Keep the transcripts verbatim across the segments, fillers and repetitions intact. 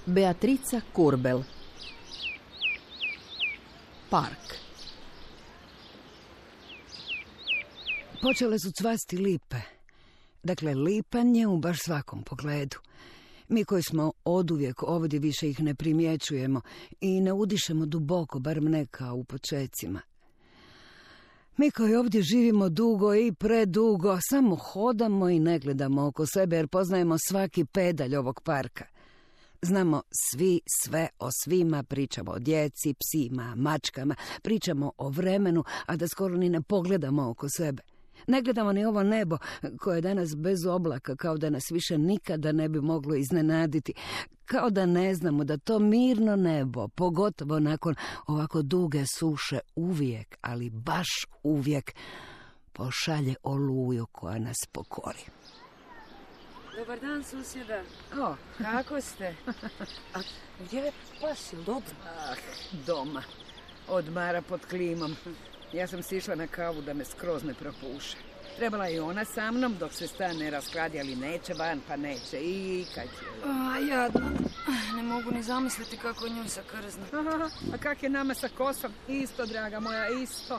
Beatrica Kurbel. Park. Počele su cvasti lipe. Dakle, lipanje u baš svakom pogledu. Mi koji smo oduvijek ovdje više ih ne primjećujemo i ne udišemo duboko, barem ne kao u počecima. Mi koji ovdje živimo dugo i predugo, samo hodamo i ne gledamo oko sebe jer poznajemo svaki pedalj ovog parka. Znamo svi sve o svima, pričamo o djeci, psima, mačkama, pričamo o vremenu, a da skoro ni ne pogledamo oko sebe. Ne gledamo ni ovo nebo koje je danas bez oblaka, kao da nas više nikada ne bi moglo iznenaditi. Kao da ne znamo da to mirno nebo, pogotovo nakon ovako duge suše, uvijek, ali baš uvijek, pošalje oluju koja nas pokori. Dobar dan, susjeda. O, kako ste? A gdje je pas, jel dobro? Ah, doma. Odmara pod klimom. Ja sam sišla na kavu da me skroz ne propuše. Trebala je ona sa mnom dok se stan ne raskladi, ali neće van, pa neće. I kad će... A, jadno. Ne mogu ni zamisliti kako je njoj sa krzna. Aha, a kak je nama sa kosom? Isto, draga moja, isto.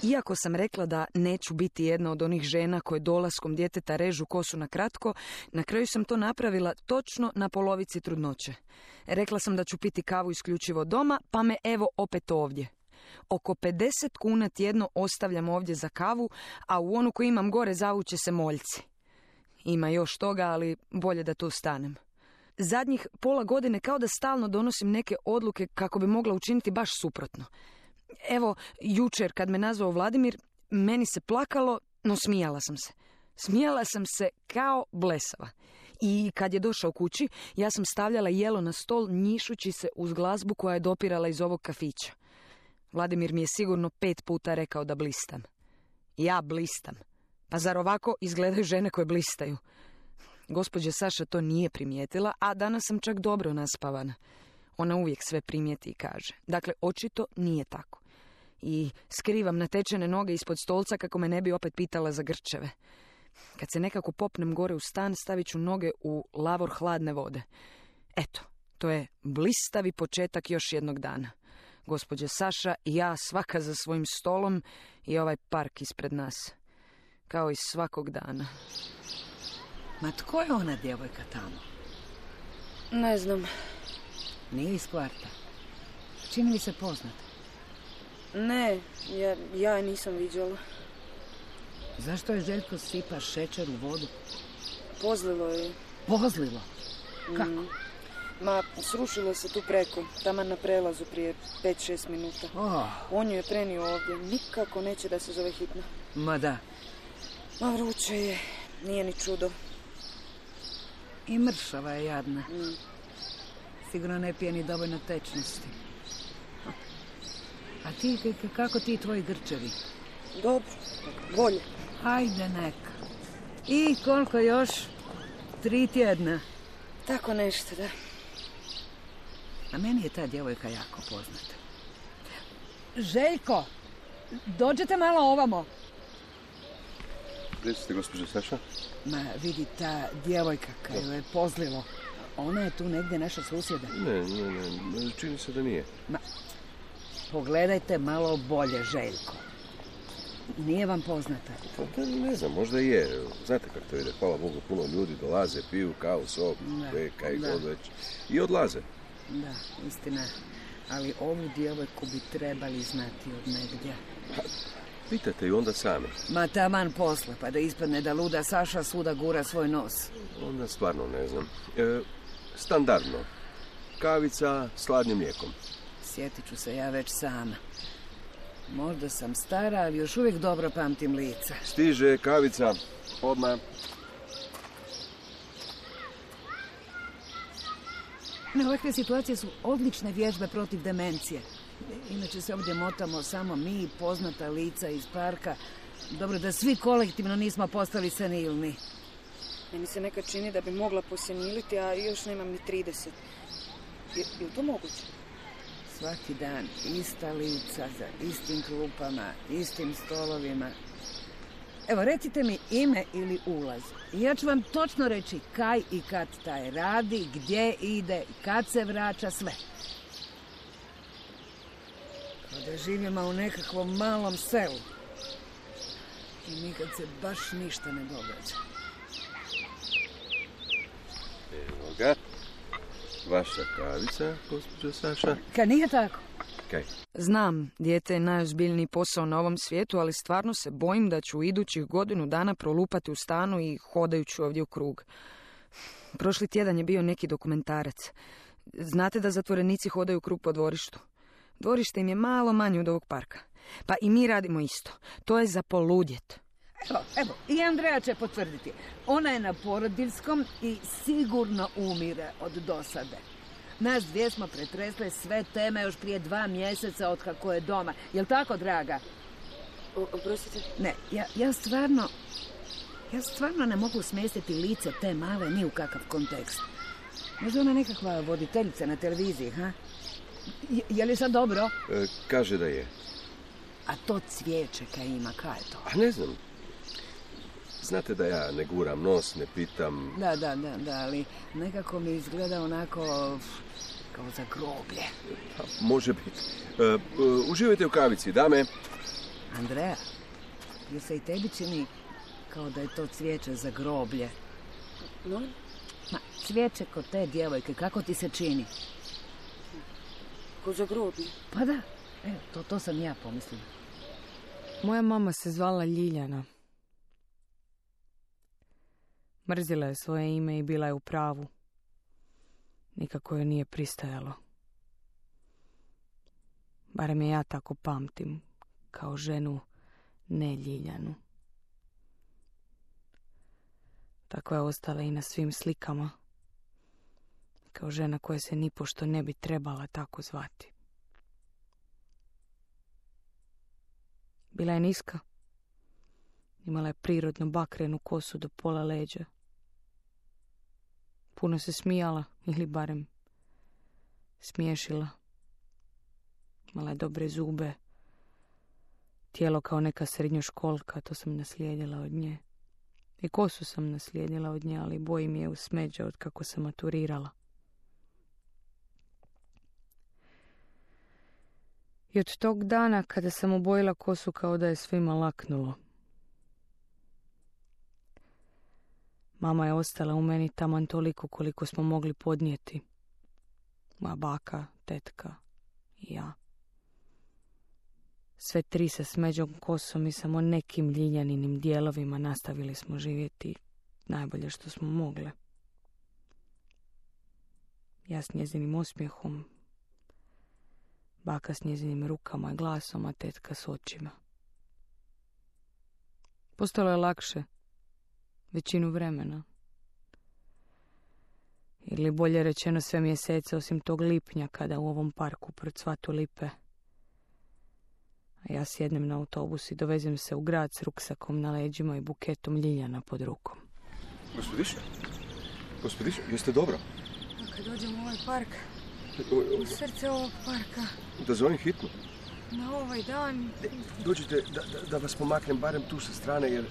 Iako sam rekla da neću biti jedna od onih žena koje dolaskom djeteta režu kosu na kratko, na kraju sam to napravila točno na polovici trudnoće. Rekla sam da ću piti kavu isključivo doma, pa me evo opet ovdje. Oko pedeset kuna tjedno ostavljam ovdje za kavu, a u onu koju imam gore zavuće se moljci. Ima još toga, ali bolje da tu stanem. Zadnjih pola godine kao da stalno donosim neke odluke kako bi mogla učiniti baš suprotno. Evo, jučer kad me nazvao Vladimir, meni se plakalo, no smijala sam se. Smijala sam se kao blesava. I kad je došao kući, ja sam stavljala jelo na stol njišući se uz glazbu koja je dopirala iz ovog kafića. Vladimir mi je sigurno pet puta rekao da blistam. Ja blistam. Pa zar ovako izgledaju žene koje blistaju? Gospođa Saša to nije primijetila, a danas sam čak dobro naspavana. Ona uvijek sve primijeti i kaže. Dakle, očito nije tako. I skrivam natečene noge ispod stolca kako me ne bi opet pitala za grčeve. Kad se nekako popnem gore u stan, stavit ću noge u lavor hladne vode. Eto, to je blistavi početak još jednog dana. Gospođa Saša i ja svaka za svojim stolom i ovaj park ispred nas. Kao i svakog dana. Ma tko je ona djevojka tamo? Ne znam. Nije iz kvarta. Čini mi se poznata. Ne, ja, ja je nisam viđala. Zašto je Željko sipa šećer u vodu? Pozlilo je. Pozlilo? Kako? Mm. Ma, srušilo se tu preko, taman na prelazu prije pet šest minuta. Oh. On ju je prenio ovdje, nikako neće da se zove hitno. Ma da. Ma vruće je, nije ni čudo. I mršava je jadna. Mm. Sigurno ne pije ni dovoljno tečnosti. A ti, kako ti tvoji grčevi? Dobro, bolje. Ajde neka. I koliko još? Tri tjedna. Tako nešto, da. A meni je ta djevojka jako poznata. Željko, dođete malo ovamo. Gdje ste, gospođo Saša? Ma, vidi, ta djevojka koju je pozlilo. Ona je tu negdje naša susjeda. Ne, ne, ne, čini se da nije. Ma, pogledajte malo bolje, Željko. Nije vam poznata? Pa ne znam, možda i je. Znate kako to ide, hvala Bogu, puno ljudi dolaze, piju kavu, sok, kaj god već. I odlaze. Da, istina. Ali ovu djevojku bi trebali znati od negdje. Pa, pitajte ju onda sami. Ma taman posle, pa da ispadne da luda Saša svuda gura svoj nos. Onda stvarno ne znam. E, standardno. Kavica s hladnim mlijekom. Sjetit ću se ja već sama. Možda sam stara, ali još uvijek dobro pamtim lica. Stiže kavica. Odmah. Ovakve situacije su odlične vježbe protiv demencije. Inače se ovdje motamo samo mi, poznata lica iz parka. Dobro da svi kolektivno nismo postali senilni. Meni se nekad čini da bi mogla poseniliti, a još nemam ni trideset. Je, je to moguće? Svaki dan ista lica za istim klupama, istim stolovima. Evo, recite mi ime ili ulaz. I ja ću vam točno reći kaj i kad taj radi, gdje ide, kad se vraća, sve. Kao da živimo u nekakvom malom selu. I nikad se baš ništa ne događa. Evo ga. Vaša kavica, gospođo Saša. Kaj nije tako? Kaj? Znam, dijete je najozbiljniji posao na ovom svijetu, ali stvarno se bojim da ću idućih godinu dana prolupati u stanu i hodajući ovdje u krug. Prošli tjedan je bio neki dokumentarac. Znate da zatvorenici hodaju u krug po dvorištu? Dvorište im je malo manje od ovog parka. Pa i mi radimo isto. To je za poludjet. Evo, evo, i Andreja će potvrditi. Ona je na porodiljskom i sigurno umire od dosade. Nas dvije smo pretresle sve teme još prije dva mjeseca od kako je doma. Jel' tako, draga? O, oprostite? Ne, ja, ja stvarno... Ja stvarno ne mogu smjestiti lice te male ni u kakav kontekst. Možda ona nekakva voditeljica na televiziji, ha? Je, je li sad dobro? E, kaže da je. A to cvijeće kaj ima, kaj je to? A ne znam. Znate da ja ne guram nos, ne pitam... Da, da, da, da, ali nekako mi izgleda onako kao za groblje. Pa, može biti. E, e, uživajte u kavici, dame. Andreja, je se i tebi čini kao da je to cvijeće za groblje? No? Ma, cvijeće kod te djevojke, kako ti se čini? Ko za groblje? Pa da, evo, to, to sam ja pomislila. Moja mama se zvala Ljiljana. Mrzila je svoje ime i bila je u pravu. Nikako joj nije pristajalo. Barem je ja tako pamtim, kao ženu ne Ljiljanu. Tako je ostala i na svim slikama. Kao žena koja se nipošto ne bi trebala tako zvati. Bila je niska. Imala je prirodno bakrenu kosu do pola leđa. Puno se smijala, ili barem smiješila. Imala je dobre zube. Tijelo kao neka srednjoškolka, to sam naslijedila od nje. I kosu sam naslijedila od nje, ali bojim je u smeđa od kako sam maturirala. I od tog dana kada sam obojila kosu kao da je svima laknulo. Mama je ostala u meni taman toliko koliko smo mogli podnijeti. Moja baka, tetka i ja. Sve tri sa smeđom kosom i samo nekim Ljiljaninim dijelovima nastavili smo živjeti najbolje što smo mogle. Ja s njezinim osmijehom, baka s njezinim rukama i glasom, a tetka s očima. Postalo je lakše većinu vremena. Ili bolje rečeno sve mjesece osim tog lipnja kada u ovom parku procvatu lipe. A ja sjednem na autobus i dovezem se u grad s ruksakom na leđima i buketom ljiljana pod rukom. Gospodiše, gospodiše, jeste dobro? A kad dođem u ovaj park, u srce ovog parka, da zovem hitno. Na ovaj dan... Dođite da, da, da vas pomaknem barem tu sa strane, jer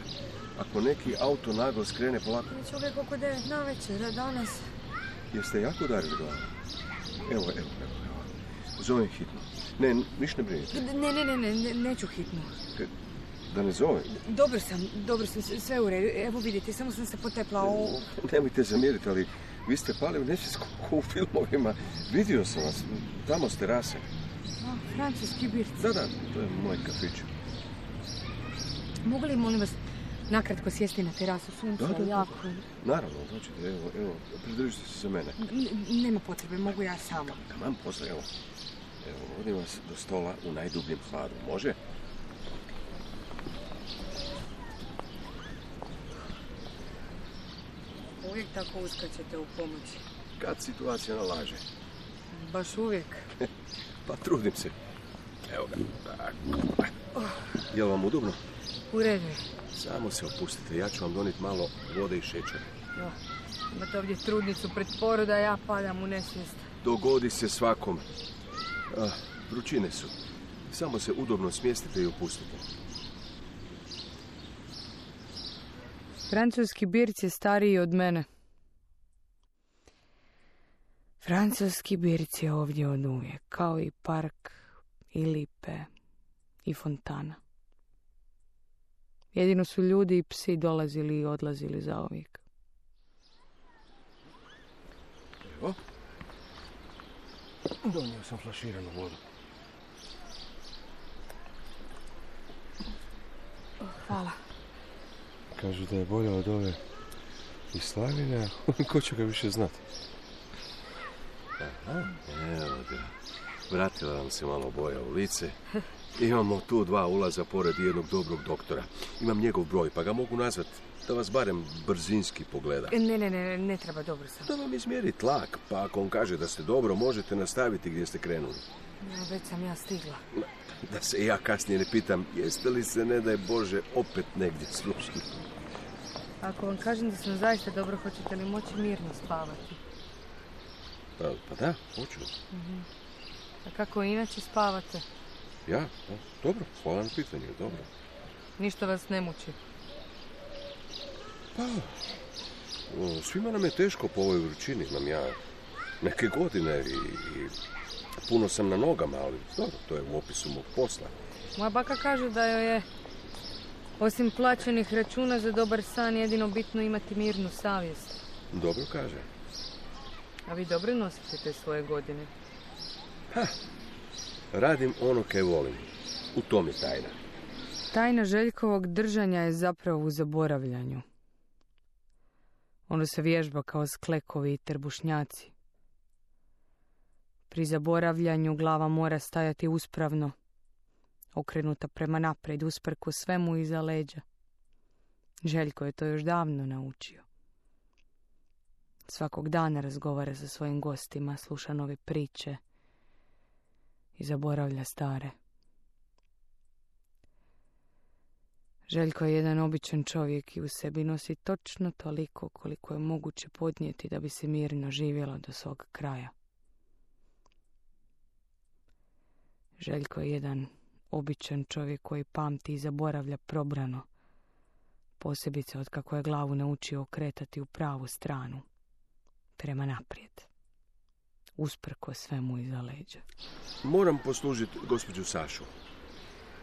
ako neki auto naglo skrene polako... Čovjek oko devet na večer, danas... Jeste jako udarili glavu? Evo, evo, evo, evo. Zovem hitno. Ne, niš ne brinite. Ne, ne, ne, ne, neću hitno. Da ne zovem? Dobro sam, dobro sam, sve u redu. Evo vidite, samo sam se potepla u... Nemojte zamjeriti, ali vi ste pali u nečesku u filmovima. Vidio sam vas, tamo ste rase. A, francuski birci. Da, da, to je moj kafić. Mogu li, molim vas, nakratko sjesti na terasu, sunce je jako? Naravno, dođite, evo, evo, pridržite se za mene. N- nema potrebe, mogu ja sama. Taman posle, evo. Evo, vodim vas do stola u najdubljem hladu, može? Uvijek tako uskačete u pomoć. Kad situacija nalaže. Baš uvijek. Pa trudim se. Evo ga, tako. Jel vam udobno? U redu. Samo se opustite, ja ću vam doniti malo vode i šećera. Ja. Imate ovdje trudnicu pred poroda, ja padam u nesvijest. Dogodi se svakom. Ah, vrućine su. Samo se udobno smjestite i opustite. Francuski birc je stariji od mene. Francuski birc je ovdje od uvijek, kao i park, i lipe, i fontana. Jedino su ljudi i psi dolazili i odlazili zauvijek. Evo. Donio sam flaširanu vodu. Hvala. Kažu da je bolja od ove iz Slavine, ko će ga više znati? Aha, evo ga. Vratila nam se malo boja u lice. Imamo tu dva ulaza pored jednog dobrog doktora. Imam njegov broj, pa ga mogu nazvat da vas barem brzinski pogleda. Ne, ne, ne, ne treba, dobro sam. Da vam izmjeri tlak, pa ako on kaže da ste dobro, možete nastaviti gdje ste krenuli. Ja, već sam ja stigla. Da se ja kasnije ne pitam, jeste li se, ne daj Bože, opet negdje slušali? Ako vam kažem da sam zaista dobro, hoćete li moći mirno spavati? Pa, pa da, hoću. Uh-huh. A kako inače spavate? Ja? Da, dobro, hvala na pitanju, dobro. Ništa vas ne muči? Pa, o, svima nam je teško po ovoj vrućini, imam ja neke godine i, i puno sam na nogama, ali dobro, to je u opisu mog posla. Moja baka kaže da joj je, osim plaćenih računa za dobar san, jedino bitno imati mirnu savjest. Dobro kaže. A vi dobro nosite te svoje godine? Ha, radim ono kaj volim. U tom je tajna. Tajna Željkovog držanja je zapravo u zaboravljanju. Ono se vježba kao sklekovi i trbušnjaci. Pri zaboravljanju glava mora stajati uspravno, okrenuta prema naprijed, usprko svemu iza leđa. Željko je to još davno naučio. Svakog dana razgovara sa svojim gostima, sluša nove priče i zaboravlja stare. Željko je jedan običan čovjek i u sebi nosi točno toliko koliko je moguće podnijeti da bi se mirno živjelo do svog kraja. Željko je jedan običan čovjek koji pamti i zaboravlja probrano, posebice od kako je glavu naučio okretati u pravu stranu, prema naprijed, usprko svemu iza leđa. Moram poslužiti gospođu Sašu.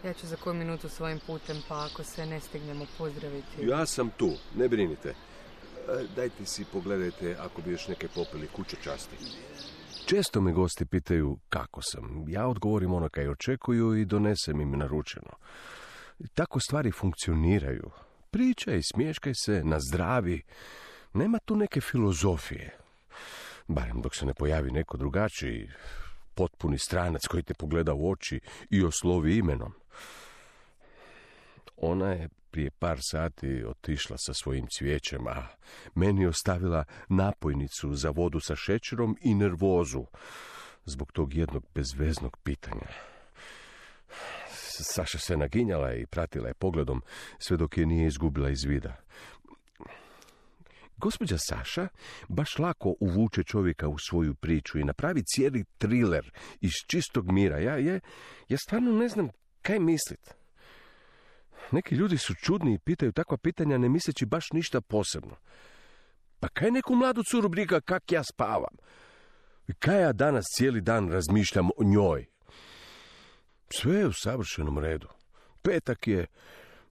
Ja ću za koju minutu svojim putem, pa ako se ne stignemo pozdraviti... Ja sam tu, ne brinite. Dajte si pogledajte ako bi još neke popili kuće časti. Često me gosti pitaju kako sam. Ja odgovorim ono kaj očekuju i donesem im naručeno. Tako stvari funkcioniraju. Pričaj, smješkaj se, na zdravi. Nema tu neke filozofije. Barem dok se ne pojavi neko drugačiji, potpuni stranac koji te pogleda u oči i oslovi imenom. Ona je prije par sati otišla sa svojim cvijećem, a meni ostavila napojnicu za vodu sa šećerom i nervozu zbog tog jednog bezveznog pitanja. Saša se naginjala i pratila je pogledom sve dok je nije izgubila iz vida. Gospođa Saša baš lako uvuče čovjeka u svoju priču i napravi cijeli triler iz čistog mira. Ja, ja, ja stvarno ne znam kaj mislit. Neki ljudi su čudni i pitaju takva pitanja ne misleći baš ništa posebno. Pa kaj neku mladu curu briga kak ja spavam? I kaj ja danas cijeli dan razmišljam o njoj? Sve je u savršenom redu. Petak je,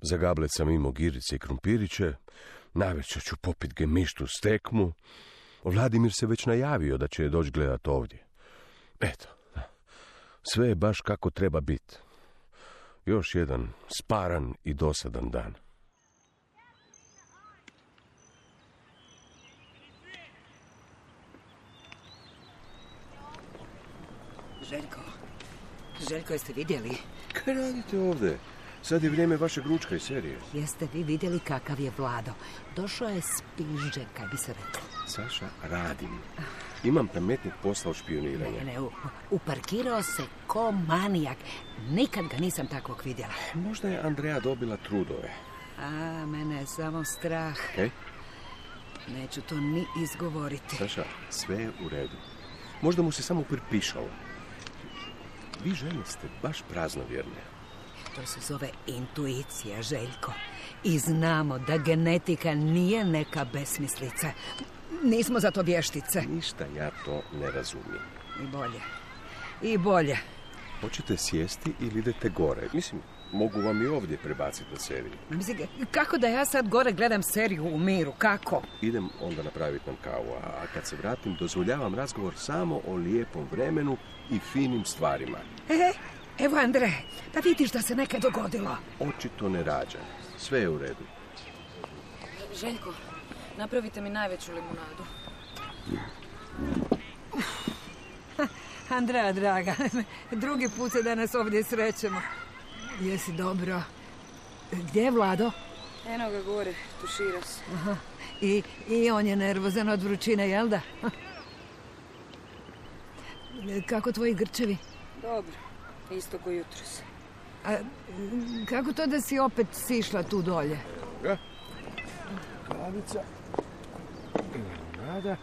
za gablet sam imao girice i krumpiriće, navečer ću popit gemištu s tekmu. Vladimir se već najavio da će je doći gledat ovdje. Eto, sve je baš kako treba biti. Još jedan sparan i dosadan dan. Željko, Željko, jeste vidjeli? Kaj radite ovdje? Sad je vrijeme vašeg ručka i serije. Jeste vi vidjeli kakav je Vlado? Došao je s pižđe, kaj bi se reklo. Saša, radim. Imam pametnih posla od špioniranja. Ne, ne, uparkirao se ko manijak. Nikad ga nisam takvog vidjela. Možda je Andreja dobila trudove. A, mene je samo strah. Kaj? Neću to ni izgovoriti. Saša, sve je u redu. Možda mu se samo pripišalo. Vi žene ste baš praznovjerne. To se zove intuicija, Željko. I znamo da genetika nije neka besmislica. Nismo za to vještice. Ništa ja to ne razumijem. I bolje. I bolje. Hoćete sjesti ili idete gore? Mislim, mogu vam i ovdje prebaciti na seriju. Mislim, kako da ja sad gore gledam seriju u miru? Kako? Idem onda napraviti nam kavu, a kad se vratim dozvoljavam razgovor samo o lijepom vremenu i finim stvarima. E, evo Andre, da vidiš da se nekaj dogodilo. Očito ne rađa. Sve je u redu. Željko, napravite mi najveću limunadu. Andreja, draga, drugi put se danas ovdje srećemo. Jesi dobro? Gdje je Vlado? Eno ga gore, tušira se. Aha. I, I on je nervozan od vrućine, jel da? Kako tvoji grčevi? Dobro, isto ko jutros. A kako to da si opet sišla tu dolje? Ja. Kavica. Nada.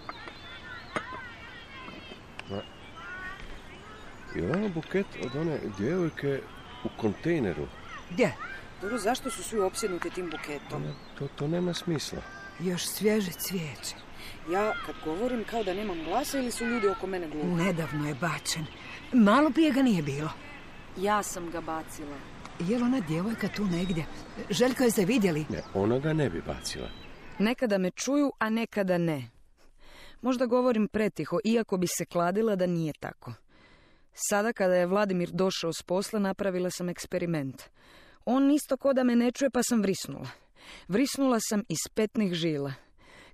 I ono buket od one djevojke u kontejneru. Gdje? Dobro, zašto su svi opsjednuti tim buketom? To, to nema smisla. Još svježe cvijeće. Ja kad govorim kao da nemam glasa ili su ljudi oko mene glupi? Nedavno je bačen. Malo prije ga nije bilo. Ja sam ga bacila. Je li ona djevojka tu negdje? Željko, je se vidjeli? Ne, ona ga ne bi bacila. Nekada me čuju, a nekada ne. Možda govorim pretiho, iako bi se kladila da nije tako. Sada kada je Vladimir došao s posla, napravila sam eksperiment. On isto ko da me ne čuje, pa sam vrisnula. Vrisnula sam iz petnih žila.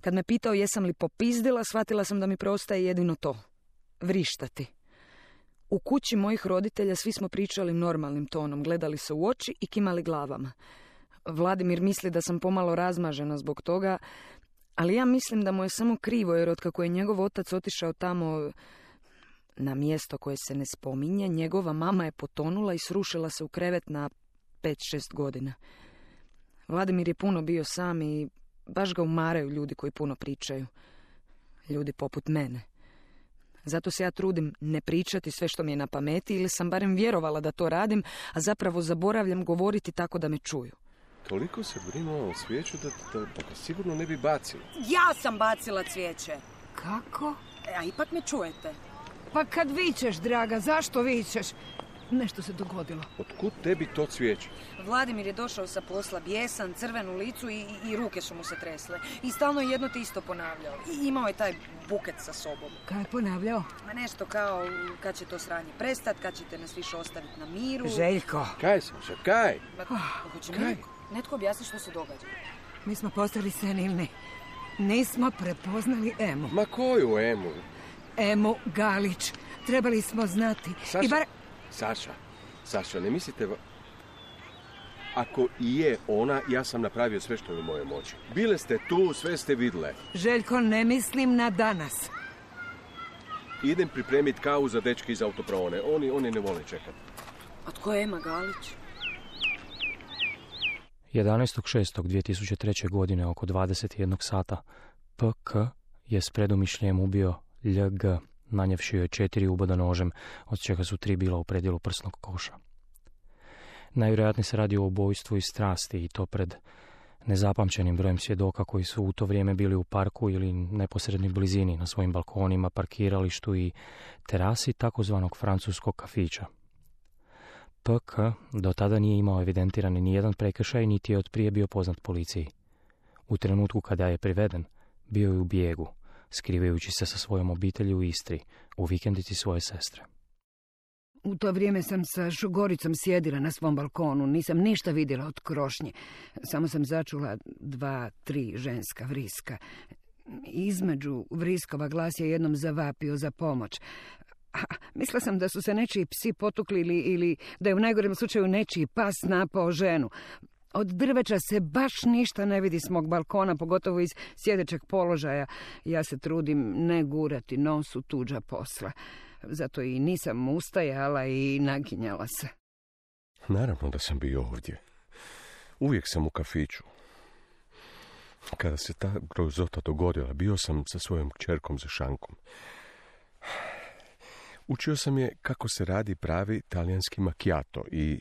Kad me pitao jesam li popizdila, shvatila sam da mi preostaje jedino to. Vrištati. U kući mojih roditelja svi smo pričali normalnim tonom, gledali se u oči i kimali glavama. Vladimir misli da sam pomalo razmažena zbog toga, ali ja mislim da mu je samo krivo, jer otkako je njegov otac otišao tamo na mjesto koje se ne spominje, njegova mama je potonula i srušila se u krevet na pet šest godina. Vladimir je puno bio sam i baš ga umaraju ljudi koji puno pričaju. Ljudi poput mene. Zato se ja trudim ne pričati sve što mi je na pameti, ili sam barem vjerovala da to radim, a zapravo zaboravljam govoriti tako da me čuju. Toliko se brinula o cvijeću da, da, da ga sigurno ne bi bacila. Ja sam bacila cvijeće. Kako? A ipak me čujete. Pa kad vičeš, draga, zašto vičeš? Nešto se dogodilo. Otkud tebi to cvijeće? Vladimir je došao sa posla bijesan, crven u licu i, i, i ruke su mu se tresle. I stalno je jedno te isto ponavljao. I imao je taj buket sa sobom. Kaj je ponavljao? Ma nešto kao kad će to sranje prestat, kad ćete nas više ostaviti na miru. Željko. Kaj sam se, kaj? Ma, hoće mi netko, netko objasni što se događa. Mi smo postali senilni. Nismo prepoznali Emu. Ma koju Emu? Emu Galić. Trebali smo znati. Saša, I bar... Saša, Saša, ne mislite... Va... Ako i je ona, ja sam napravio sve što je u mojoj moći. Bile ste tu, sve ste vidle. Željko, ne mislim na danas. Idem pripremiti kavu za dečke iz autoprovone. Oni, oni ne vole čekati. A tko je Ema Galić? jedanaestog šestog dvije tisuće treće. godine oko dvadeset jednog sata P K je s predumišljem ubio L G, nanjevši joj četiri uboda nožem, od čega su tri bila u predjelu prsnog koša. Najvjerojatnije se radi o ubojstvu iz strasti, i to pred nezapamćenim brojem svjedoka koji su u to vrijeme bili u parku ili neposrednoj blizini, na svojim balkonima, parkiralištu i terasi takozvanog francuskog kafića. P K do tada nije imao evidentirani nijedan prekršaj, niti je otprije bio poznat policiji. U trenutku kada je priveden, bio je u bijegu, skrivajući se sa svojom obitelji u Istri, u vikendici svoje sestre. U to vrijeme sam sa Šugoricom sjedila na svom balkonu. Nisam ništa vidjela od krošnje. Samo sam začula dva, tri ženska vriska. Između vriskova glas je jednom zavapio za pomoć. A, mislila sam da su se nečiji psi potukli ili, ili da je u najgorem slučaju nečiji pas napao ženu. Od drveća se baš ništa ne vidi s mog balkona, pogotovo iz sjedećeg položaja. Ja se trudim ne gurati nos u tuđa posla. Zato i nisam ustajala i naginjala se. Naravno da sam bio ovdje. Uvijek sam u kafiću. Kada se ta grozota dogodila, bio sam sa svojom kćerkom za šankom. Učio sam je kako se radi pravi talijanski macchiato i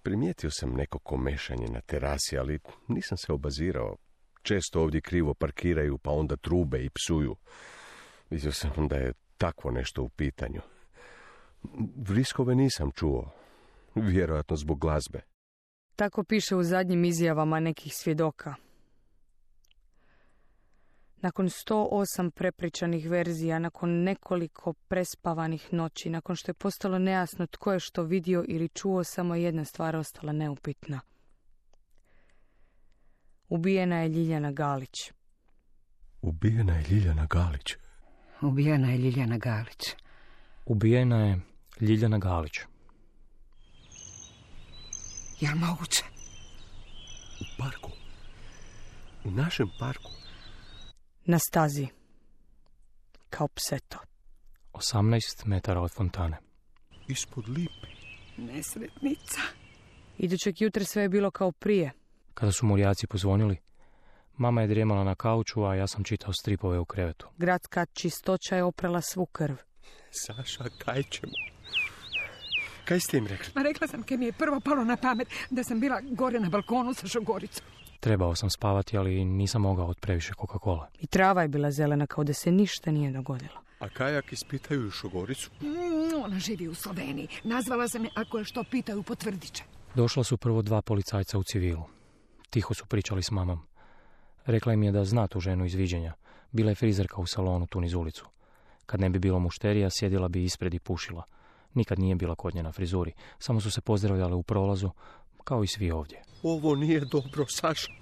Primijetio sam neko komešanje na terasi, ali nisam se obazirao. Često ovdje krivo parkiraju, pa onda trube i psuju. Vidio sam da je takvo nešto u pitanju. Vriskove nisam čuo, vjerojatno zbog glazbe. Tako piše u zadnjim izjavama nekih svjedoka. Nakon sto osam prepričanih verzija, nakon nekoliko prespavanih noći, nakon što je postalo nejasno tko je što vidio ili čuo, samo jedna stvar ostala neupitna. Ubijena je Ljiljana Galić. Ubijena je Ljiljana Galić. Ubijena je Ljiljana Galić. Ubijena je Ljiljana Galić. Jel moguće? U parku. U našem parku. Na stazi. Kao pseto. osamnaest metara od fontane. Ispod lipe. Nesretnica. Idućeg jutra sve je bilo kao prije. Kada su murijaci pozvonili, mama je drijemala na kauču, a ja sam čitao stripove u krevetu. Gradska čistoća je oprala svu krv. Saša, kaj ćemo? Kaj ste im rekli? Ma rekla sam, kaj mi je prvo palo na pamet da sam bila gore na balkonu sa Šogoricom. Trebao sam spavati, ali nisam mogao od previše Coca-Cola. I trava je bila zelena, kao da se ništa nije dogodilo. A kajak ispitaju Šogoricu? Mm, ona živi u Sloveniji. Nazvala sam je, ako je što pitaju, potvrdit će. Došla su prvo dva policajca u civilu. Tiho su pričali s mamom. Rekla im je da zna tu ženu iz viđenja. Bila je frizerka u salonu tu niz ulicu. Kad ne bi bilo mušterija, sjedila bi ispred i pušila. Nikad nije bila kod nje na frizuri. Samo su se pozdravljale u prolazu, kao i svi ovdje. Ovo nije dobro, Saša.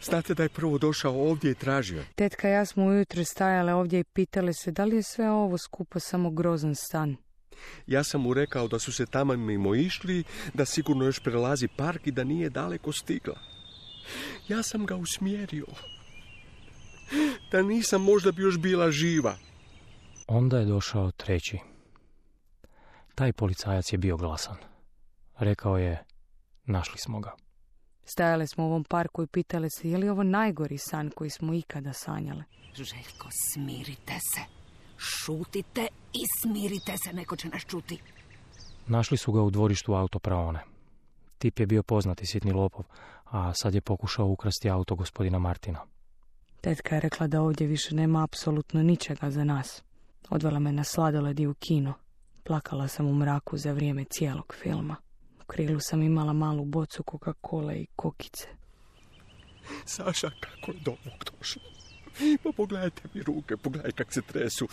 Znate da je prvo došao ovdje i tražio. Tetka i ja smo ujutro stajale ovdje i pitale se da li je sve ovo skupo samo grozan stan. Ja sam mu rekao da su se tamo mimo išli, da sigurno još prelazi park i da nije daleko stigla. Ja sam ga usmjerio. Da nisam, možda bi još bila živa. Onda je došao treći. Taj policajac je bio glasan. Rekao je, našli smo ga. Stajale smo u ovom parku i pitale se je li ovo najgori san koji smo ikada sanjale. Željko, smirite se. Šutite i smirite se, neko će nas čuti. Našli su ga u dvorištu autopraone. Tip je bio poznati sitni lopov, a sad je pokušao ukrasti auto gospodina Martina. Tetka je rekla da ovdje više nema apsolutno ničega za nas. Odvela me na sladoled i u kino. Plakala sam u mraku za vrijeme cijelog filma. U krilu sam imala malu bocu Coca-Cola i kokice. Saša, kako je do ovog došlo? Pa pogledajte mi ruke, pogledaj kak se tresu.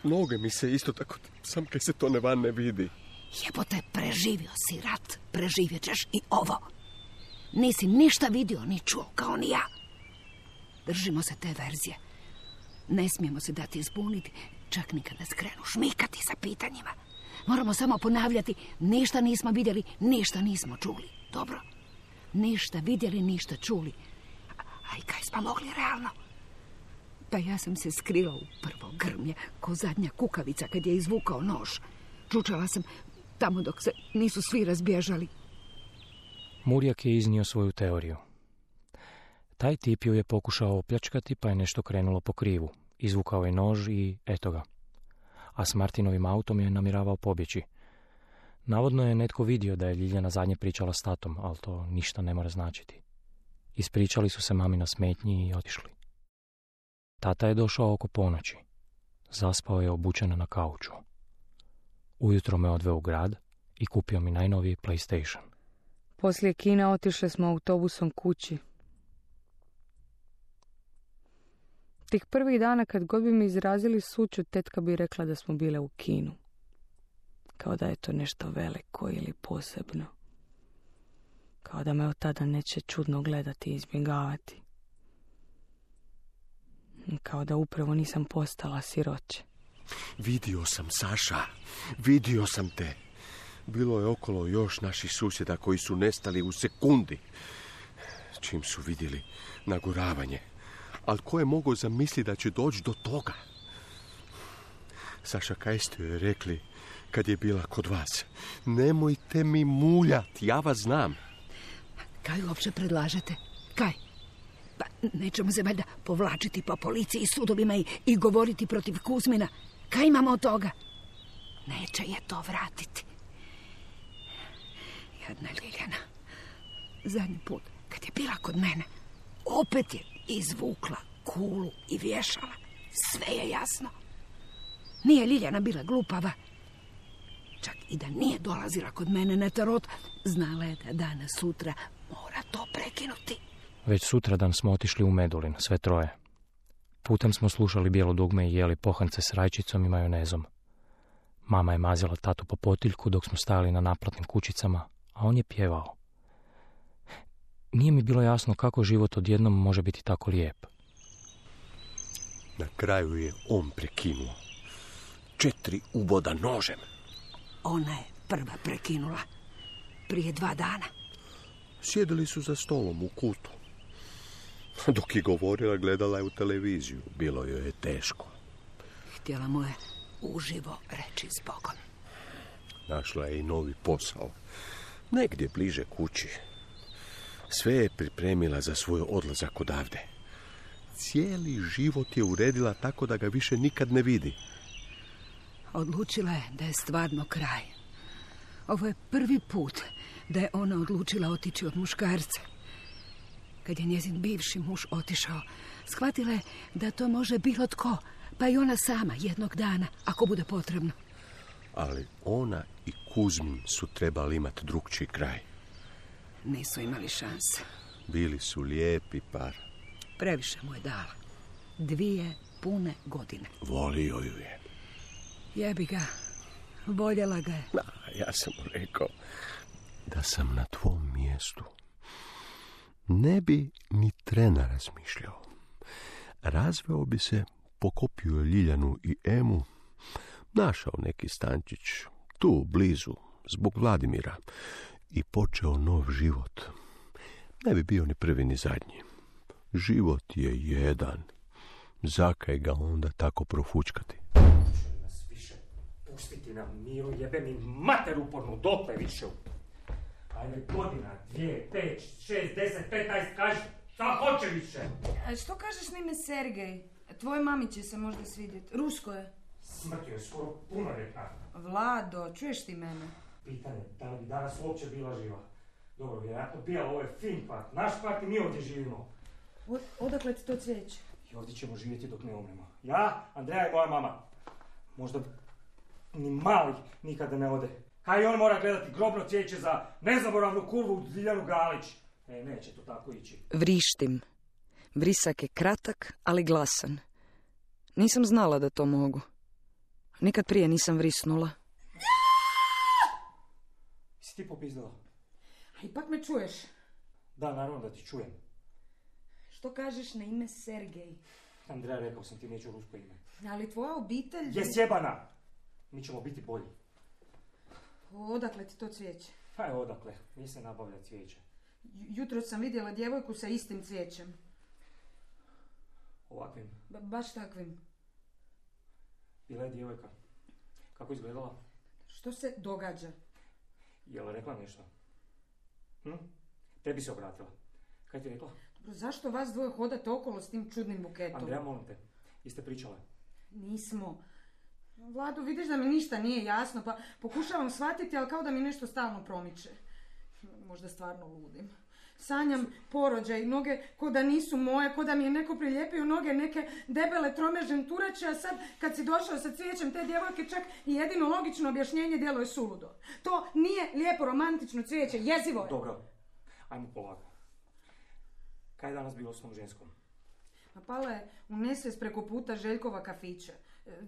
Noge mi se isto tako, sam kaj se to ne van ne vidi. Jebote, preživio si rat, preživjet ćeš i ovo. Nisi ništa vidio ni čuo, kao ni ja. Držimo se te verzije. Ne smijemo se dati zbuniti, čak ni kada skrenu šmikati sa pitanjima. Moramo samo ponavljati, ništa nismo vidjeli, ništa nismo čuli. Dobro? Ništa vidjeli, ništa čuli. A i kaj smo mogli realno? Pa ja sam se skrila u prvo grmlje, ko zadnja kukavica kad je izvukao nož. Čučala sam tamo dok se nisu svi razbježali. Murjak je iznio svoju teoriju. Taj tip ju je pokušao opljačkati, pa je nešto krenulo po krivu. Izvukao je nož i eto ga. A s Martinovim autom je namjeravao pobjeći. Navodno je netko vidio da je Ljiljana zadnje pričala s tatom, ali to ništa ne mora značiti. Ispričali su se mami na smetnji i otišli. Tata je došao oko ponoći. Zaspao je obučen na kauču. Ujutro me odveo u grad i kupio mi najnoviji PlayStation. Poslije kina otišli smo autobusom kući. Tih prvih dana kad god bi mi izrazili sućut, tetka bi rekla da smo bile u kinu. Kao da je to nešto veliko ili posebno. Kao da me od tada neće čudno gledati i izbjegavati. Kao da upravo nisam postala siroće. Vidio sam, Saša, vidio sam te. Bilo je okolo još naših susjeda koji su nestali u sekundi. Čim su vidjeli naguravanje. Ali ko je mogao zamisliti da će doći do toga? Saša, kaj ste joj rekli kad je bila kod vas? Nemojte mi muljati, ja vas znam. Kaj uopće predlažete? Kaj? Pa nećemo se valjda povlačiti po policiji i sudovima i, i govoriti protiv Kuzmina. Kaj imamo od toga? Neće je to vratiti. Jadna Ljiljana. Zadnji put, kad je bila kod mene, opet je izvukla kulu i vješala. Sve je jasno. Nije Ljiljana bila glupava. Čak i da nije dolazila kod mene na tarot, znala je da danas sutra mora to prekinuti. Već sutradan smo otišli u Medulin, sve troje. Putem smo slušali Bijelo dugme i jeli pohance s rajčicom i majonezom. Mama je mazila tatu po potiljku dok smo stajali na naplatnim kućicama, a on je pjevao. Nije mi bilo jasno kako život odjednom može biti tako lijep. Na kraju je on prekinuo. Četiri uboda nožem. Ona je prva prekinula. Prije dva dana. Sjedili su za stolom u kutu. Dok je govorila, gledala je u televiziju. Bilo joj je teško. Htjela mu je uživo reći zbogom. Našla je i novi posao. Negdje bliže kući. Sve je pripremila za svoj odlazak odavde. Cijeli život je uredila tako da ga više nikad ne vidi. Odlučila je da je stvarno kraj. Ovo je prvi put da je ona odlučila otići od muškarca. Kad je njezin bivši muž otišao, shvatila je da to može bilo tko, pa i ona sama jednog dana, ako bude potrebno. Ali ona i Kuzmin su trebali imati drugčiji kraj. Nisu imali šanse. Bili su lijepi par. Previše mu je dala. Dvije pune godine. Volio ju je. Jebi ga. Voljela ga je. Da, ja sam mu rekao da sam na tvom mjestu. Ne bi ni trena razmišljao. Razveo bi se, pokopio Ljiljanu i Emu, našao neki stančić, tu blizu, zbog Vladimira, i počeo nov život. Ne bi bio ni prvi ni zadnji. Život je jedan. Zakaj ga onda tako profučkati? Nas više pustiti na miru, jebe mi mater upornu, dotle više. Ajme, godina, dvije, pet, šest, deset, petnaest, kaži, šta hoće više? A što kažeš na ime Sergej? Tvoj mami će se možda svidjeti. Rusko je. Smrtio je skoro punoljetna. Vlado, čuješ ti mene? Pitanje, da li bi danas uopće bila živa? Dobro, vjerojatno bijela, ovo je fin kvart. Naš kvart i mi ovdje živimo. O, odakle ti to cvijeće? I ovdje ćemo živjeti dok ne umremo. Ja, Andreja i moja mama. Možda ni mali nikada ne ode. Kaj i on mora gledati grobno cvijeće za nezaboravnu kurvu Ljiljanu Galić. E, neće to tako ići. Vrištim. Vrisak je kratak, ali glasan. Nisam znala da to mogu. Nikad prije nisam vrisnula. Si ti popizdala? A ipak me čuješ. Da, naravno da ti čujem. Što kažeš na ime Sergej? Andreja, rekao sam ti, neću rusko ime. Ali tvoja obitelj... Je sjebana! Mi ćemo biti bolji. Odakle ti to cvijeće? Pa je odakle, nije se nabavlja cvijeće. Jutro sam vidjela djevojku sa istim cvijećem. Ovakvim? Ba- baš takvim. Bila je djevojka. Kako izgledala? Što se događa? Je li rekla nešto? Hm? Tebi se obratila. Kaj ti rekla? Dobro, zašto vas dvoje hodate okolo s tim čudnim buketom? Andreja, molim te, jeste pričale? Nismo. Vlado, vidiš da mi ništa nije jasno, pa pokušavam shvatiti, ali kao da mi nešto stalno promiče. Možda stvarno ludim. Sanjam porođaj, noge ko da nisu moje, ko da mi je neko prilijepio noge neke debele trome žentureće, a sad kad si došao sa cvijećem te djevojke, čak i jedino logično objašnjenje djeluje suludo. To nije lijepo romantično cvijeće, jezivo je. Dobro, ajmo polako. Kaj je danas bilo s tom ženskom? A pala je u nesvijest preko puta Željkova kafića.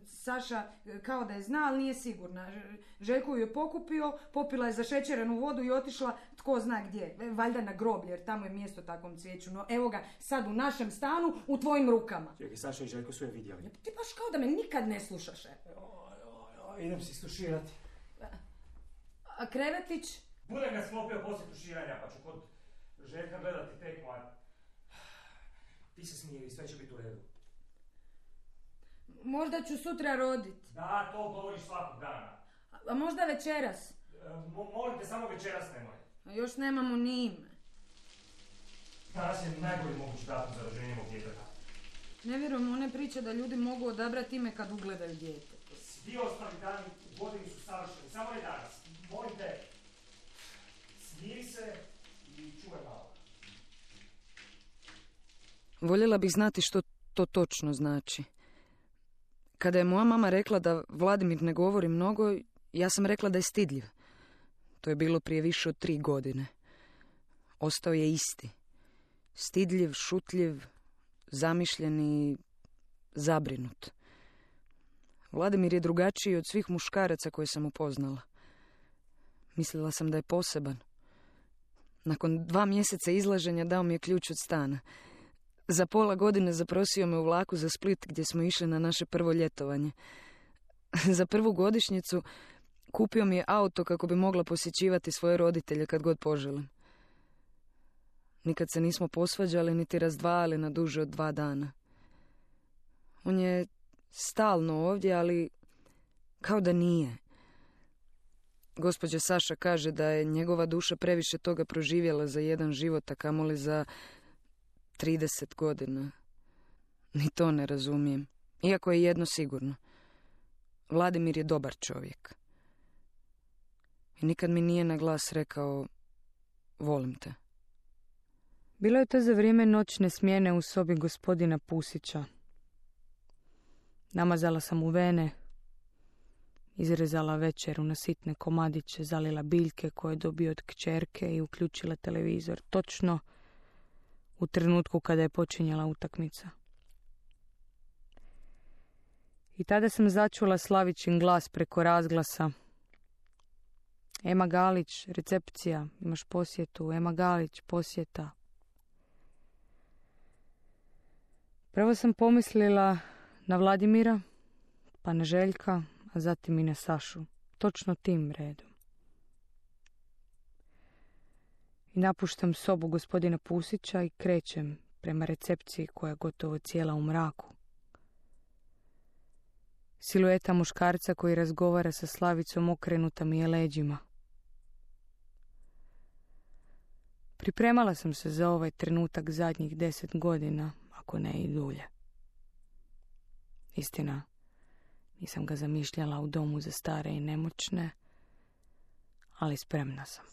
Saša kao da je zna, ali nije sigurna. Željko ju je pokupio, popila je zašećerenu vodu i otišla tko zna gdje. Valjda na groblje, jer tamo je mjesto takvom cvijeću. No evo ga sad u našem stanu, u tvojim rukama. Čekaj, Saša i Željko su je vidjeli. Ti baš kao da me nikad ne slušaš. E. Oj, oj, oj, idem si stuširati. A krevetić? Budem ga sklopio poslije tuširanja, pa ću kod Željka gledati tekmu, a ti se smiri i sve će biti u redu. Možda ću sutra rodit. Da, to govoriš svakog dana. A, a možda večeras. E, mo- molim te, samo večeras nemoj. A još nemamo ni ime. Danas je najbolji mogući datum za rođenje mog djeteta. Ne vjerujem one priče da ljudi mogu odabrati ime kad ugledaju dijete. Svi ostali dani u godini su savršeni, samo ne danas. Molim te, Voljela bih znati što to točno znači. Kada je moja mama rekla da Vladimir ne govori mnogo, ja sam rekla da je stidljiv. To je bilo prije više od tri godine. Ostao je isti. Stidljiv, šutljiv, zamišljen i zabrinut. Vladimir je drugačiji od svih muškaraca koje sam upoznala. Mislila sam da je poseban. Nakon dva mjeseca izlaženja dao mi je ključ od stana. Za pola godine zaprosio me u vlaku za Split gdje smo išli na naše prvo ljetovanje. Za prvu godišnjicu kupio mi je auto kako bi mogla posjećivati svoje roditelje kad god poželim. Nikad se nismo posvađali niti razdvajali na duže od dva dana. On je stalno ovdje, ali kao da nije. Gospođa Saša kaže da je njegova duša previše toga proživjela za jedan život, a kamoli za trideset godina. Ni to ne razumijem. Iako je jedno sigurno. Vladimir je dobar čovjek. I nikad mi nije na glas rekao volim te. Bilo je to za vrijeme noćne smjene u sobi gospodina Pusića. Namazala sam u vene, izrezala večeru na sitne komadiće, zalila biljke koje je dobio od kćerke i uključila televizor točno u trenutku kada je počinjala utakmica. I tada sam začula Slavićin glas preko razglasa. Ema Galić, recepcija, imaš posjetu, Ema Galić, posjeta. Prvo sam pomislila na Vladimira, pa na Željka, a zatim i na Sašu. Točno tim redom. I napuštam sobu gospodina Pusića i krećem prema recepciji koja je gotovo cijela u mraku. Silueta muškarca koji razgovara sa Slavicom okrenuta mi je leđima. Pripremala sam se za ovaj trenutak zadnjih deset godina, ako ne i dulje. Istina, nisam ga zamišljala u domu za stare i nemoćne, ali spremna sam.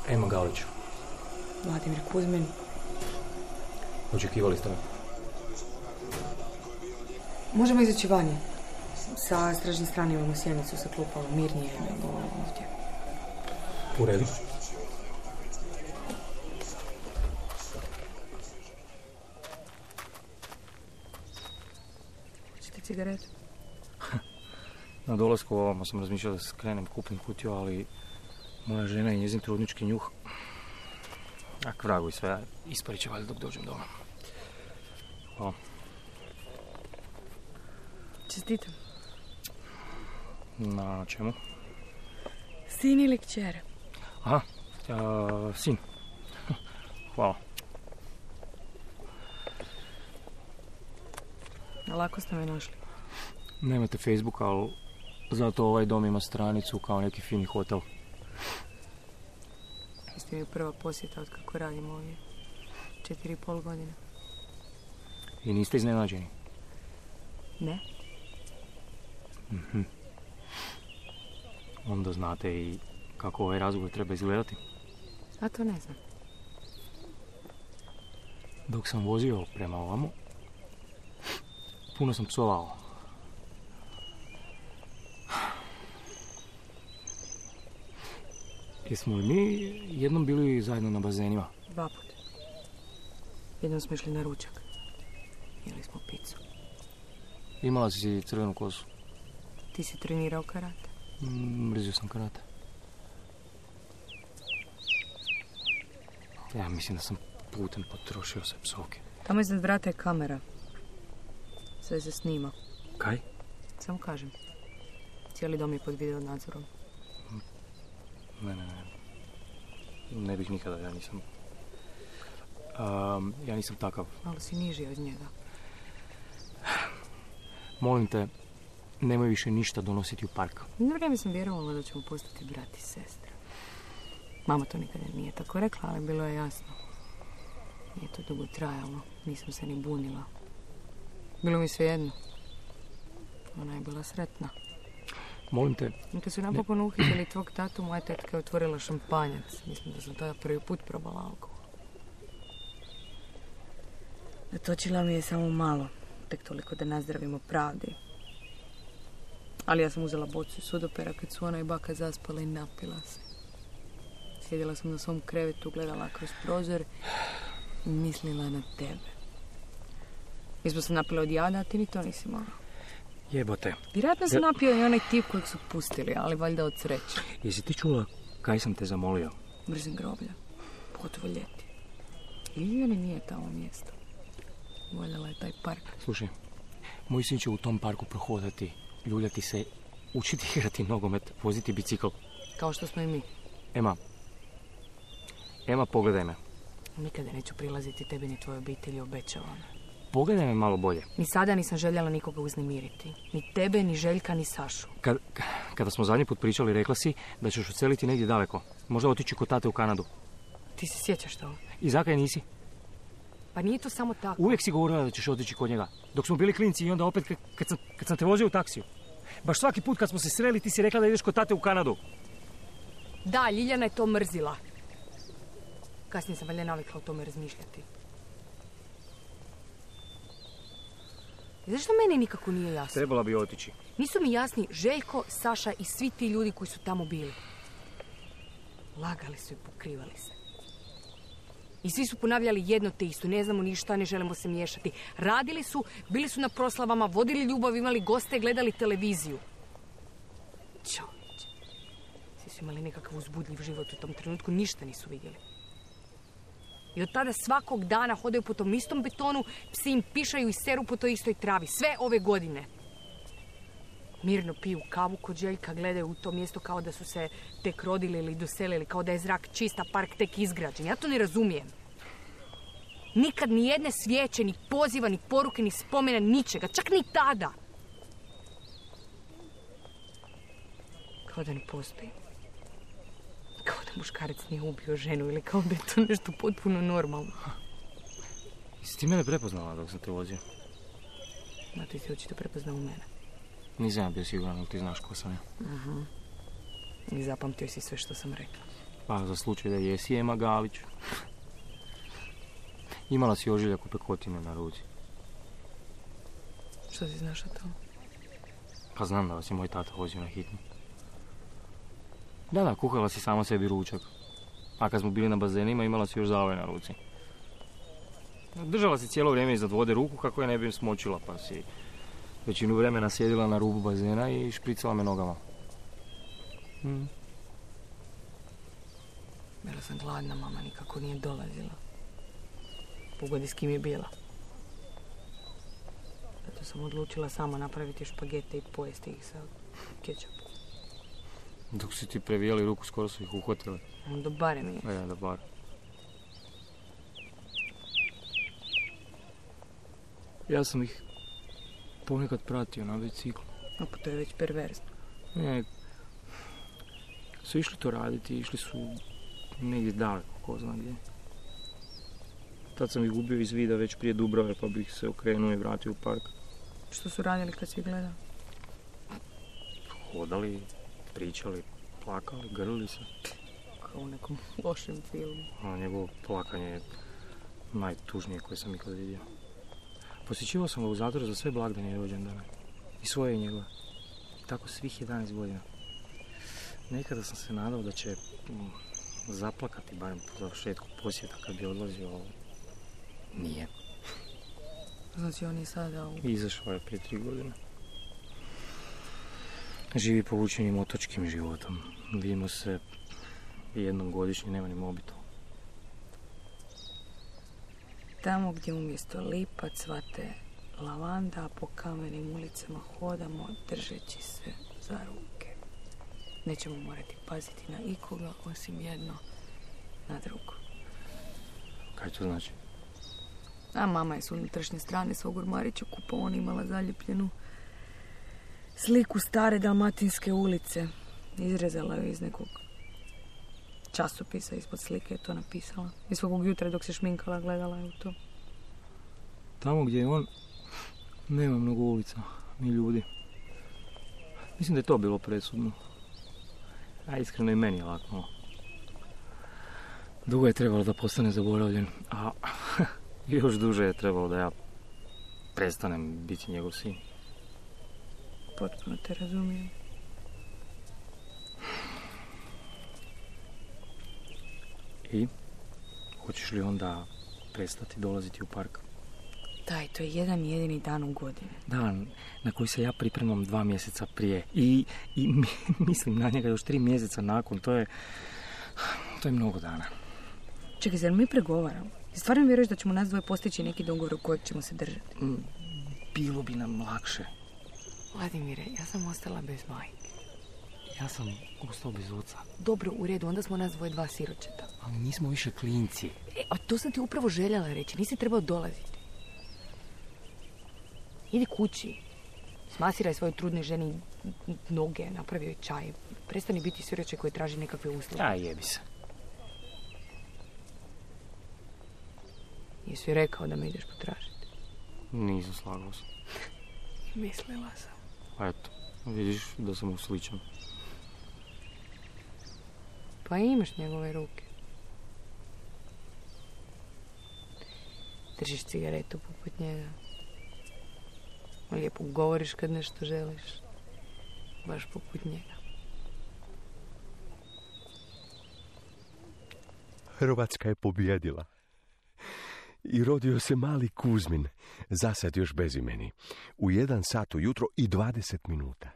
Ema Galić. Vladimir Kuzmin. Očekivali ste me? Možemo izaći vanje. Sa stražnje strane imamo sjenicu sa klupama, mirnije nego ovdje. U redu. Hoćete cigaretu? Na dolasku ovamo sam razmišljala da skrenem kupnim kutiju, ali moja žena i njezin trudnički njuh, ak vragu i sve, isparit će valjda dok dođem doma. Hvala. Čestitam. Na čemu? Sin ili kćer? Aha, a, sin. Hvala. Lako ste me našli. Nemate Facebook, ali zato ovaj dom ima stranicu kao neki fini hotel. Jeste mi prva posjeta od kako radim ovdje. Četiri i pol godine. I niste iznenađeni? Ne. Mhm. Onda znate i kako ovaj razgovor treba izgledati? A to ne znam. Dok sam vozio prema ovamo, puno sam psovao. Jesmo li mi jednom bili zajedno na bazenima? Dva put. Jednom smo išli na ručak. Jeli smo picu. Imala si crvenu kosu. Ti si trenirao karate? Mm, mrzio sam karate. Ja mislim da sam putem potrošio sve psovke. Tamo iznad vrata je kamera. Sve se snima. Kaj? Samo kažem. Cijeli dom je pod video nadzorom. Ne, ne, ne. Ne bih nikada, ja nisam... Um, ja nisam takav. Malo si niži od njega. Molim te, nemoj više ništa donositi u park. Na vrijeme sam vjerovala da ćemo postati brat i sestra. Mama to nikada nije tako rekla, ali bilo je jasno. Nije to dugo trajalo. Nisam se ni bunila. Bilo mi sve jedno. Ona je bila sretna. Molim te. Kad su napokon uhitili tvog tatu, moja tetka je otvorila šampanjac. Mislim da sam tada prvi put probala alkohol. Natočila mi je samo malo, tek toliko da nazdravimo pravdi. Ali ja sam uzela bocu sudopera kad su ona i baka zaspala i napila se. Sjedila sam na svom krevetu, gledala kroz prozor i mislila na tebe. Mi smo se napili od jada, a ti ni to nisi mogla. Jebote. Vjerojatno se napio i onaj tip kojeg su pustili, ali valjda od sreće. Jesi ti čula kaj sam te zamolio? Mrzim groblja, pogotovo ljeti. Ili nije tamo mjesto. Voljela je taj park. Slušaj, moj sin će u tom parku prohodati, ljuljati se, učiti igrati nogomet, voziti bicikl. Kao što smo i mi. Ema, Ema, pogledaj me. Nikada neću prilaziti tebi ni tvojoj obitelji, obećavam. Pogledaj me malo bolje. Ni sada nisam željela nikoga uznemiriti. Ni tebe, ni Željka, ni Sašu. Kad, kada smo zadnji put pričali, rekla si da ćeš odseliti negdje daleko. Možda otići kod tate u Kanadu. Ti se sjećaš toga? I zakaj nisi? Pa nije to samo tako. Uvijek si govorila da ćeš otići kod njega. Dok smo bili klinci i onda opet kad, kad, sam, kad sam te vozio u taksiju. Baš svaki put kad smo se sreli ti si rekla da ideš kod tate u Kanadu. Da, Ljiljana je to mrzila. Kasnije sam valjda navikla o tome razmišljati. Zašto meni nikako nije jasno? Trebala bi otići. Nisu mi jasni Željko, Saša i svi ti ljudi koji su tamo bili. Lagali su i pokrivali se. I svi su ponavljali jedno te isto. Ne znamo ništa, ne želimo se miješati. Radili su, bili su na proslavama, vodili ljubav, imali goste, gledali televiziju. Čovječe. Svi su imali nekakav uzbudljiv život u tom trenutku, ništa nisu vidjeli. I od tada svakog dana hodaju po tom istom betonu, psi im pišaju i seru po toj istoj travi. Sve ove godine. Mirno piju kavu kod Željka, gledaju u to mjesto kao da su se tek rodili ili doselili, kao da je zrak čista, park tek izgrađen. Ja to ne razumijem. Nikad ni jedne svijeće, ni poziva, ni poruke, ni spomena, ničega. Čak ni tada. Kao da ne postoji. Kao da muškarac nije ubio ženu ili kao da je to nešto potpuno normalno. Jesi ti mene prepoznala dok sam te vozio? Ma ti si očito prepoznao mene. Nisam ja bio siguran, ali ti znaš ko sam ja. Uh-huh. I zapamtio si sve što sam rekla. Pa za slučaj da jesi Ema Galić. Imala si ožiljak u pekotine na ruci. Što si znaš o tom? Pa znam da vas je moj tata vozio na hitnu. Da, da, kuhala si sama sebi ručak. A kad smo bili na bazenima, imala si još zavoj na ruci. Držala si cijelo vrijeme iznad vode ruku kako je ne bi smočila, pa si većinu vremena sjedila na rubu bazena i špricala me nogama. Hmm. Bila sam gladna, mama nikako nije dolazila. Pogodi s kim je bila. Zato sam odlučila sama napraviti špagete i pojesti ih sa kečapom. Dok si ti previjali ruku, skoro su ih uhvatili. Onda barem je. E, da bar. Ja sam ih ponekad pratio na biciklu. A pa to je već perverzno. Ne, su išli to raditi, išli su negdje daleko, ko zna gdje. Tad sam ih gubio iz vida već prije Dubrave, pa bih se okrenuo i vratio u park. Što su radili kad si gledao? Hodali, pričali, plakali, grlili se. Kao u nekom lošem filmu. A njegovo plakanje je najtužnije koje sam ikad vidio. Posjećivao sam ga u zatvoru za sve blagdane i rođendane. I svoje i njegove. I tako svih jedanaest godina. Nekada sam se nadao da će mm, zaplakati, barem po završetku posjeta kad bi odlazio, ali nije. Znači on je sada u... Izašao je prije tri godine. Živi povučenim otočkim životom. Vidimo se jednom godišnje, nema ni mobitel. Tamo gdje umjesto lipa cvate lavanda, po kamenim ulicama hodamo držeći se za ruke. Nećemo morati paziti na ikoga, osim jedno na drugo. Kaj to znači? A mama je s unutrašnje strane svog ormarića kupovana imala zaljepljenu sliku stare dalmatinske ulice. Izrezala ju iz nekog časopisa, ispod slike je to napisala. I svakog jutra dok se šminkala gledala je u to. Tamo gdje je on, nema mnogo ulica, ni ljudi. Mislim da je to bilo presudno. A iskreno i meni je lako. Dugo je trebalo da postane zaboravljen, a još duže je trebalo da ja prestanem biti njegov sin. Potpuno te razumijem. I? Hoćeš li onda prestati dolaziti u park? Daj, to je jedan jedini dan u godini. Dan na koji se ja pripremam dva mjeseca prije. I, i mislim na njega još tri mjeseca nakon. To je... To je mnogo dana. Čekaj, zar mi pregovaramo? Stvarno vjeruješ da ćemo nas dvoje postići neki dogovor u kojeg ćemo se držati? Bilo bi nam lakše. Vladimire, ja sam ostala bez majke. Ja sam ostao bez oca. Dobro, u redu, onda smo nas dvoje dva siročeta. Ali nismo više klinci. E, a to sam ti upravo željela reći, nisi trebao dolaziti. Idi kući. Smasiraj svojoj trudnoj ženi noge, napravi joj čaj. Prestani biti siroče koji traži nekakve usluge. A jebi se. Jesi joj rekao da me ideš potražiti? Nisam slagao se. Mislila sam. A eto, vidiš da sam usličan. Pa imaš njegove ruke. Držiš cigaretu poput njega. Lijepo govoriš kad nešto želiš. Baš poput njega. Hrvatska je pobjedila. I rodio se mali Kuzmin, zasad još bezimeni, u jedan sat ujutro i dvadeset minuta.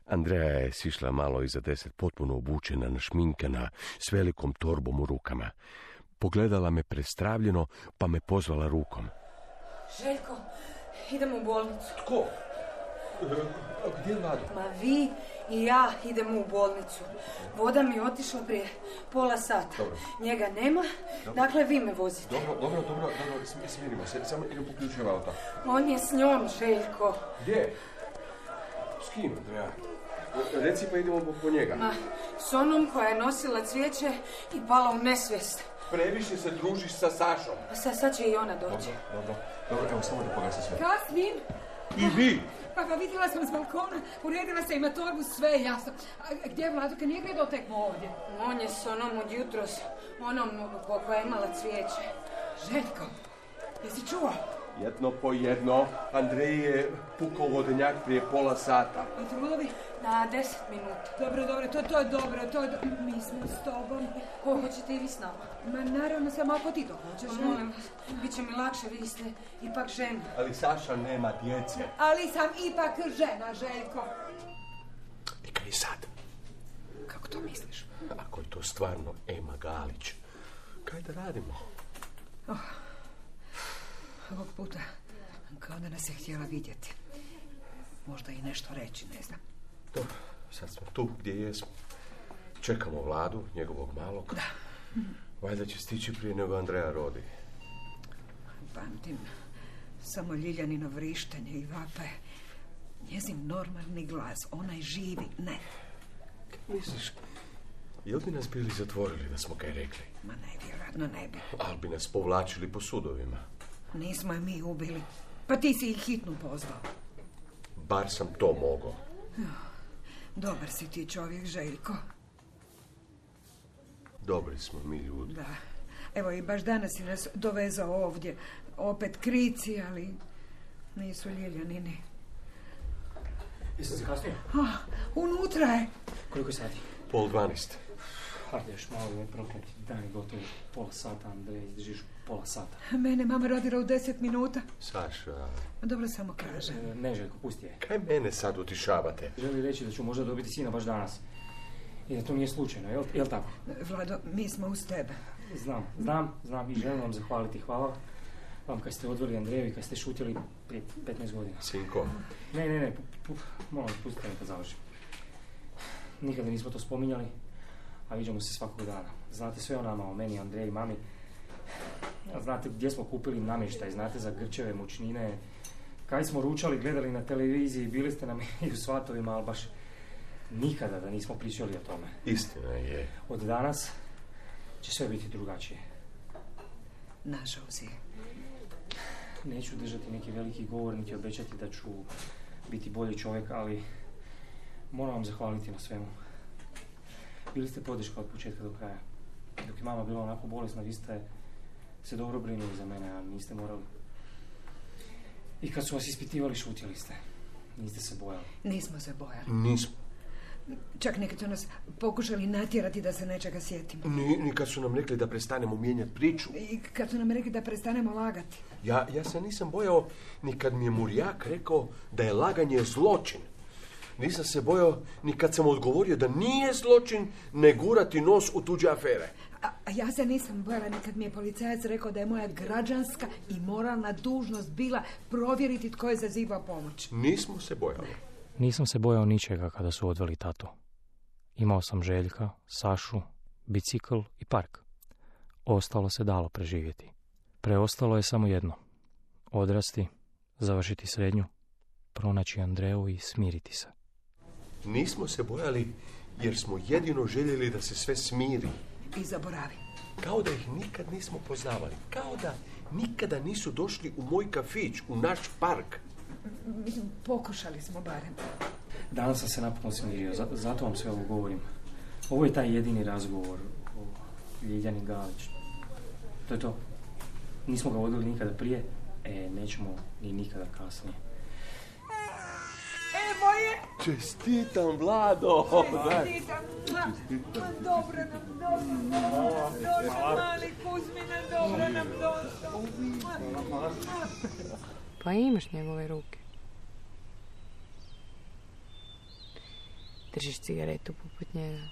Andreja je sišla malo iza deset, potpuno obučena, našminkana, s velikom torbom u rukama. Pogledala me prestravljeno, pa me pozvala rukom. Željko, idemo u bolnicu. Tko? Gdje je Vlado? Ma vi i ja idemo u bolnicu. Voda mi je otišla prije pola sata. Dobro. Njega nema, dobro. Dakle vi me vozite. Dobro, dobro, dobro, dobro, smirimo se, samo idem po ključeva auta. On je s njom, Željko. Gdje? S kim, Andreja? Reci pa idemo po, po njega. Ma, s onom koja je nosila cvijeće i pala u nesvijest. Previše se družiš sa Sašom. A sad, sad će i ona doći. Dobro, dobro, dobro, evo samo da pogasi sve. Kasnim! I vi! Pa ga vidjela sam s balkona, uredila se ima torbu, sve je jasno. A gdje je Vladuka? Nije ga dotekmo ovdje. On je s onom od jutros, onom koja je imala cvijeće. Željko, jesi čuo? Jedno po jedno, Andrej je pukao vodenjak prije pola sata. A trulovi? Na deset minuta. Dobro, dobro, to, to je dobro, to je do... Mi smo s tobom. Ko, hoćete i vi s nama? Ma naravno, samo ako ti to hoćeš. Pa, molim vas, bit će mi lakše, vi ste ipak žena. Ali Saša nema djece. Ali sam ipak žena, Željko. I kaj sad? Kako to misliš? Ako je to stvarno Ema Galić, kaj da radimo? Oh. Ovog puta, kao da nas je htjela vidjeti. Možda i nešto reći, ne znam. Dobro, sad smo tu gdje jesmo. Čekamo Vladu, njegovog malog. Da. Valjda će stići prije nego Andreja rodi. Pamtim samo Ljiljanino vrištenje i vape. Njezin normalni glas, onaj živi, ne. Kaj misliš? Jel bi nas bili zatvorili da smo kaj rekli? Ma ne, vjerojatno ne bi. Ali bi nas povlačili po sudovima. Nismo je mi ubili. Pa ti si ih hitnu pozvao. Bar sam to mogao. Dobar si ti čovjek, Željko. Dobri smo mi ljudi. Da. Evo i baš danas si nas dovezao ovdje. Opet krici, ali nisu Ljiljanini. Jesam se kasnije? Ah, unutra je. Koliko je sati? Pol dvanest. Hajde, još malo je prokleti. Dan je gotovo pola sata, Andrej, izdržiš pola sata. Mene mama rodila u deset minuta. Saša... Dobro samo kaže. E, ne, Željko, pusti je. Kaj mene sad utišavate? Želi reći da ću možda dobiti sina baš danas. I da to nije slučajno, jel, jel tako? Vlado, mi smo uz tebe. Znam, znam, znam i želim vam zahvaliti. Hvala vam kad ste odveli Andreju i kad ste šutjeli prije petnaest godina. Sinko. Ne, ne, ne, pu, pu, molim, pustite me kad završim. Nikada nismo to spominjali, a viđamo se svakog dana. Znate sve o nama, o meni, Andreji i mami. Znate gdje smo kupili namještaj, znate za grčeve, mučnine. Kaj smo ručali, gledali na televiziji, bili ste nam i u svatovima, ali baš nikada da nismo pričali o tome. Istina je. Od danas će sve biti drugačije. Nažalost je. Neću držati neki veliki govor, niti obećati da ću biti bolji čovjek, ali Moram vam zahvaliti na svemu. Bili ste podrška od početka do kraja. Dok je mama bila onako bolesna, vi ste se dobro brinuli za mene, a niste morali. I kad su vas ispitivali, šutjeli ste. Niste se bojali. Nismo se bojali. Nismo. Čak neki su nas pokušali natjerati da se nečega sjetimo. Ni, ni kad su nam rekli da prestanemo mijenjati priču. I kad su nam rekli da prestanemo lagati. Ja, ja se nisam bojao ni kad mi je Murjak rekao da je laganje zločin. Nisam se bojao ni kad sam odgovorio da nije zločin ne gurati nos u tuđe afere. A, a ja se nisam bojala ni kad mi je policajac rekao da je moja građanska i moralna dužnost bila provjeriti tko je zazivao pomoć. Nismo se bojali. Nisam se bojao ničega kada su odveli tatu. Imao sam Željka, Sašu, bicikl i park. Ostalo se dalo preživjeti. Preostalo je samo jedno. Odrasti, završiti srednju, pronaći Andreju i smiriti se. Nismo se bojali jer smo jedino željeli da se sve smiri. I zaboravi. Kao da ih nikad nismo poznavali. Kao da nikada nisu došli u moj kafić, u naš park. Mislim, pokušali smo barem. Danas sam se napokon smirio, zato vam sve ovo govorim. Ovo je taj jedini razgovor o Ljiljani Galić. To je to. Nismo ga vodili nikada prije, e, nećemo ni nikada kasnije. Evo je! Čestitam, Vlado! Čestitam! Dobro nam došlo! Došlo, mali Kuzmine, dobro nam došlo! Pa imaš njegove ruke. Držiš cigaretu poput njega.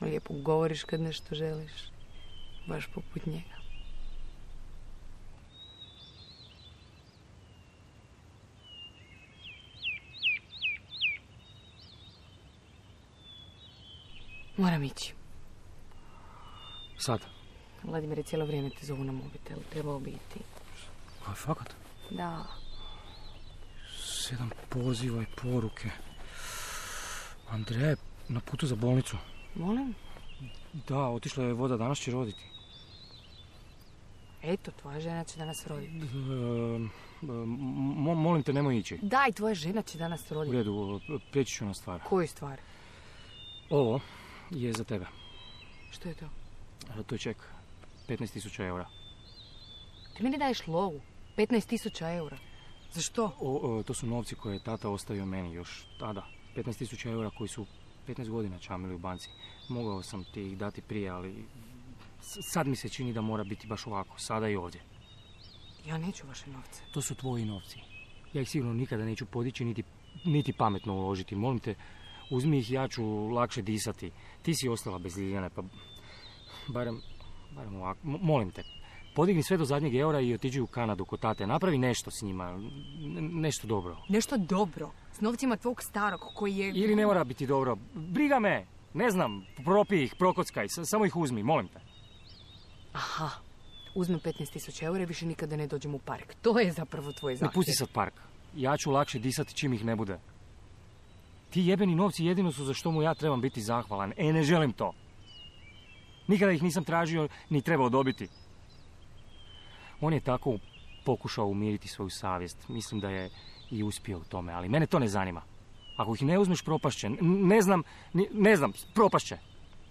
Lijepo govoriš kad nešto želiš. Baš poput njega. Moram ići. Sad? Vladimir, cijelo vrijeme te zovu na mobitel. Trebao biti. A, fakat? Da. Sedam poziva i poruke. Andreja je na putu za bolnicu. Molim? Da, otišla je voda, danas će roditi. Eto, tvoja žena će danas roditi. E, mo, molim te, nemoj ići. Daj, tvoja žena će danas U roditi. redu, prijeći ću na stvar. Koju stvar? Ovo je za tebe. Što je to? A, to je ček. petnaest tisuća eura. Ti meni daješ lovu. petnaest tisuća eura. Za što? O, o, to su novci koje je tata ostavio meni još tada. petnaest tisuća eura koji su petnaest godina čamili u banci. Mogao sam ti ih dati prije, ali sad mi se čini da mora biti baš ovako, sada i ovdje. Ja neću vaše novce. To su tvoji novci. Ja ih sigurno nikada neću podići, niti, niti pametno uložiti. Molim te, uzmi ih, ja ću lakše disati. Ti si ostala bez Ljiljane, pa barem, barem ovako. M- molim te, podigni sve do zadnjeg eura i otiđi u Kanadu kod tate. Napravi nešto s njima, N- nešto dobro. Nešto dobro? S novcima tvog starog koji je... Ili ne mora biti dobro. Briga me! Ne znam, propij ih, prokockaj, samo ih uzmi, molim te. Aha, uzmem petnaest tisuća eura i više nikada ne dođem u park. To je zapravo tvoj zahtjev. Ne pusti sad park. Ja ću lakše disati čim ih ne bude. Ti jebeni novci jedino su za što mu ja trebam biti zahvalan. E, ne želim to. Nikada ih nisam tražio ni trebao dobiti. On je tako pokušao umiriti svoju savjest. Mislim da je i uspio u tome, ali mene to ne zanima. Ako ih ne uzmeš, propašće. Ne znam, ne, ne znam, propašće.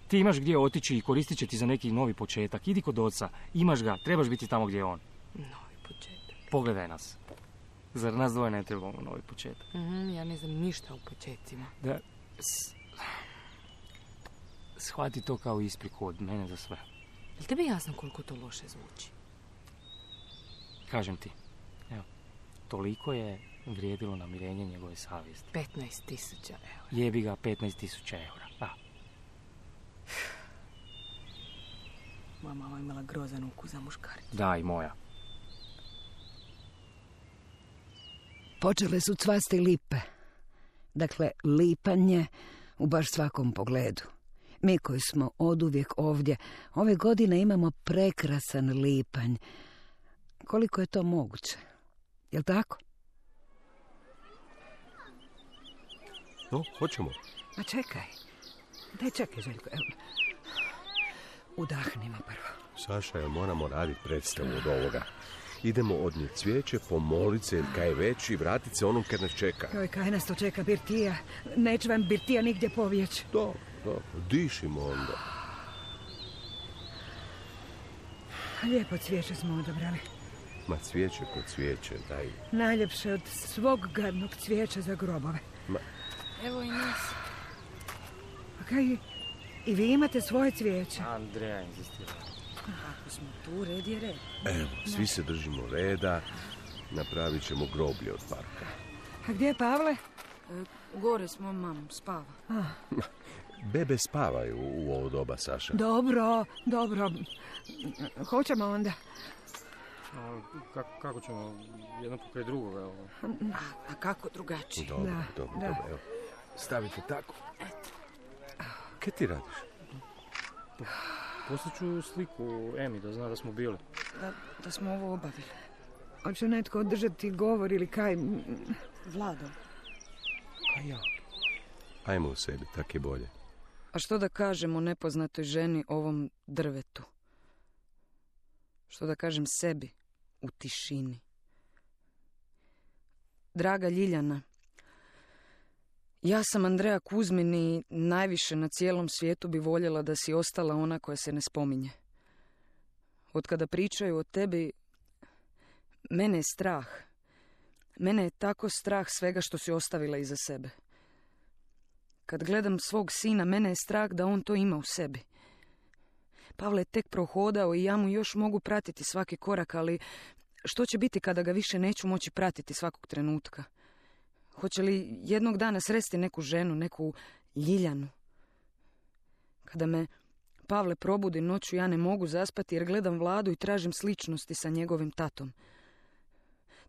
Ti imaš gdje otići i koristit će ti za neki novi početak. Idi kod oca, imaš ga, trebaš biti tamo gdje je on. Novi početak. Pogledaj nas. Zar nas dvoje ne trebamo novi početak? Mm-hmm, ja ne znam ništa o početcima. Da, s... shvati to kao ispriku od mene za sve. Je li tebi jasno koliko to loše zvuči? Kažem ti, evo, toliko je vrijedilo namirenje njegove savjesti. petnaest tisuća eura. Jebi ga, petnaest tisuća eura. Da. Moja mama imala grozan ukus za muškaricu. Da, i moja. Počele su cvasti lipe. Dakle, lipanje u baš svakom pogledu. Mi koji smo oduvijek ovdje, ove godine imamo prekrasan lipanj. Koliko je to moguće? Jel' tako? No, hoćemo. Ma čekaj. Daj čekaj, Željko. Evo. Udahnimo prvo. Saša, jel moramo raditi predstavu od ovoga? Idemo odnijeti cvijeće, pomolit se, kaj već i vratit se onom kad nas čeka. Joj, kaj nas to čeka, Birtija? Neće vam Birtija nigdje povijeć. Dobro, dobro, dišimo onda. Lijepo cvijeće smo odabrali. Ma cvijeće kod cvijeće, daj. Najljepše od svog gadnog cvijeća za grobove. Ma... Evo i nas. A kaj, i vi imate svoje cvijeće? Andreja insistira. Ako smo tu, red je red. Evo, svi se držimo reda, napravit ćemo groblje od parka. A gdje je Pavle? E, gore s mojom mamom, spava. A. Bebe spavaju u ovo doba, Saša. Dobro, dobro. Hoćemo onda. A, kako, kako ćemo jedno pokraj drugoga? Evo. A, a kako drugačije? Dobro, Da, dobro, da. dobro. Evo, stavite tako. Kaj ti radiš? Poslat ću sliku Emi da zna da smo bili. Da, da smo ovo obavili. Hoće netko održati govor ili kaj? Vlado. A ja? Ajmo u sebi, tak je bolje. A što da kažem o nepoznatoj ženi, ovom drvetu? Što da kažem sebi u tišini? Draga Ljiljana, ja sam Andreja Kuzmin i najviše na cijelom svijetu bi voljela da si ostala ona koja se ne spominje. Od kada pričaju o tebi, mene je strah. Mene je tako strah svega što si ostavila iza sebe. Kad gledam svog sina, mene je strah da on to ima u sebi. Pavle je tek prohodao i ja mu još mogu pratiti svaki korak, ali što će biti kada ga više neću moći pratiti svakog trenutka? Hoće li jednog dana sresti neku ženu, neku Ljiljanu? Kada me Pavle probudi noću, ja ne mogu zaspati jer gledam Vladu i tražim sličnosti sa njegovim tatom.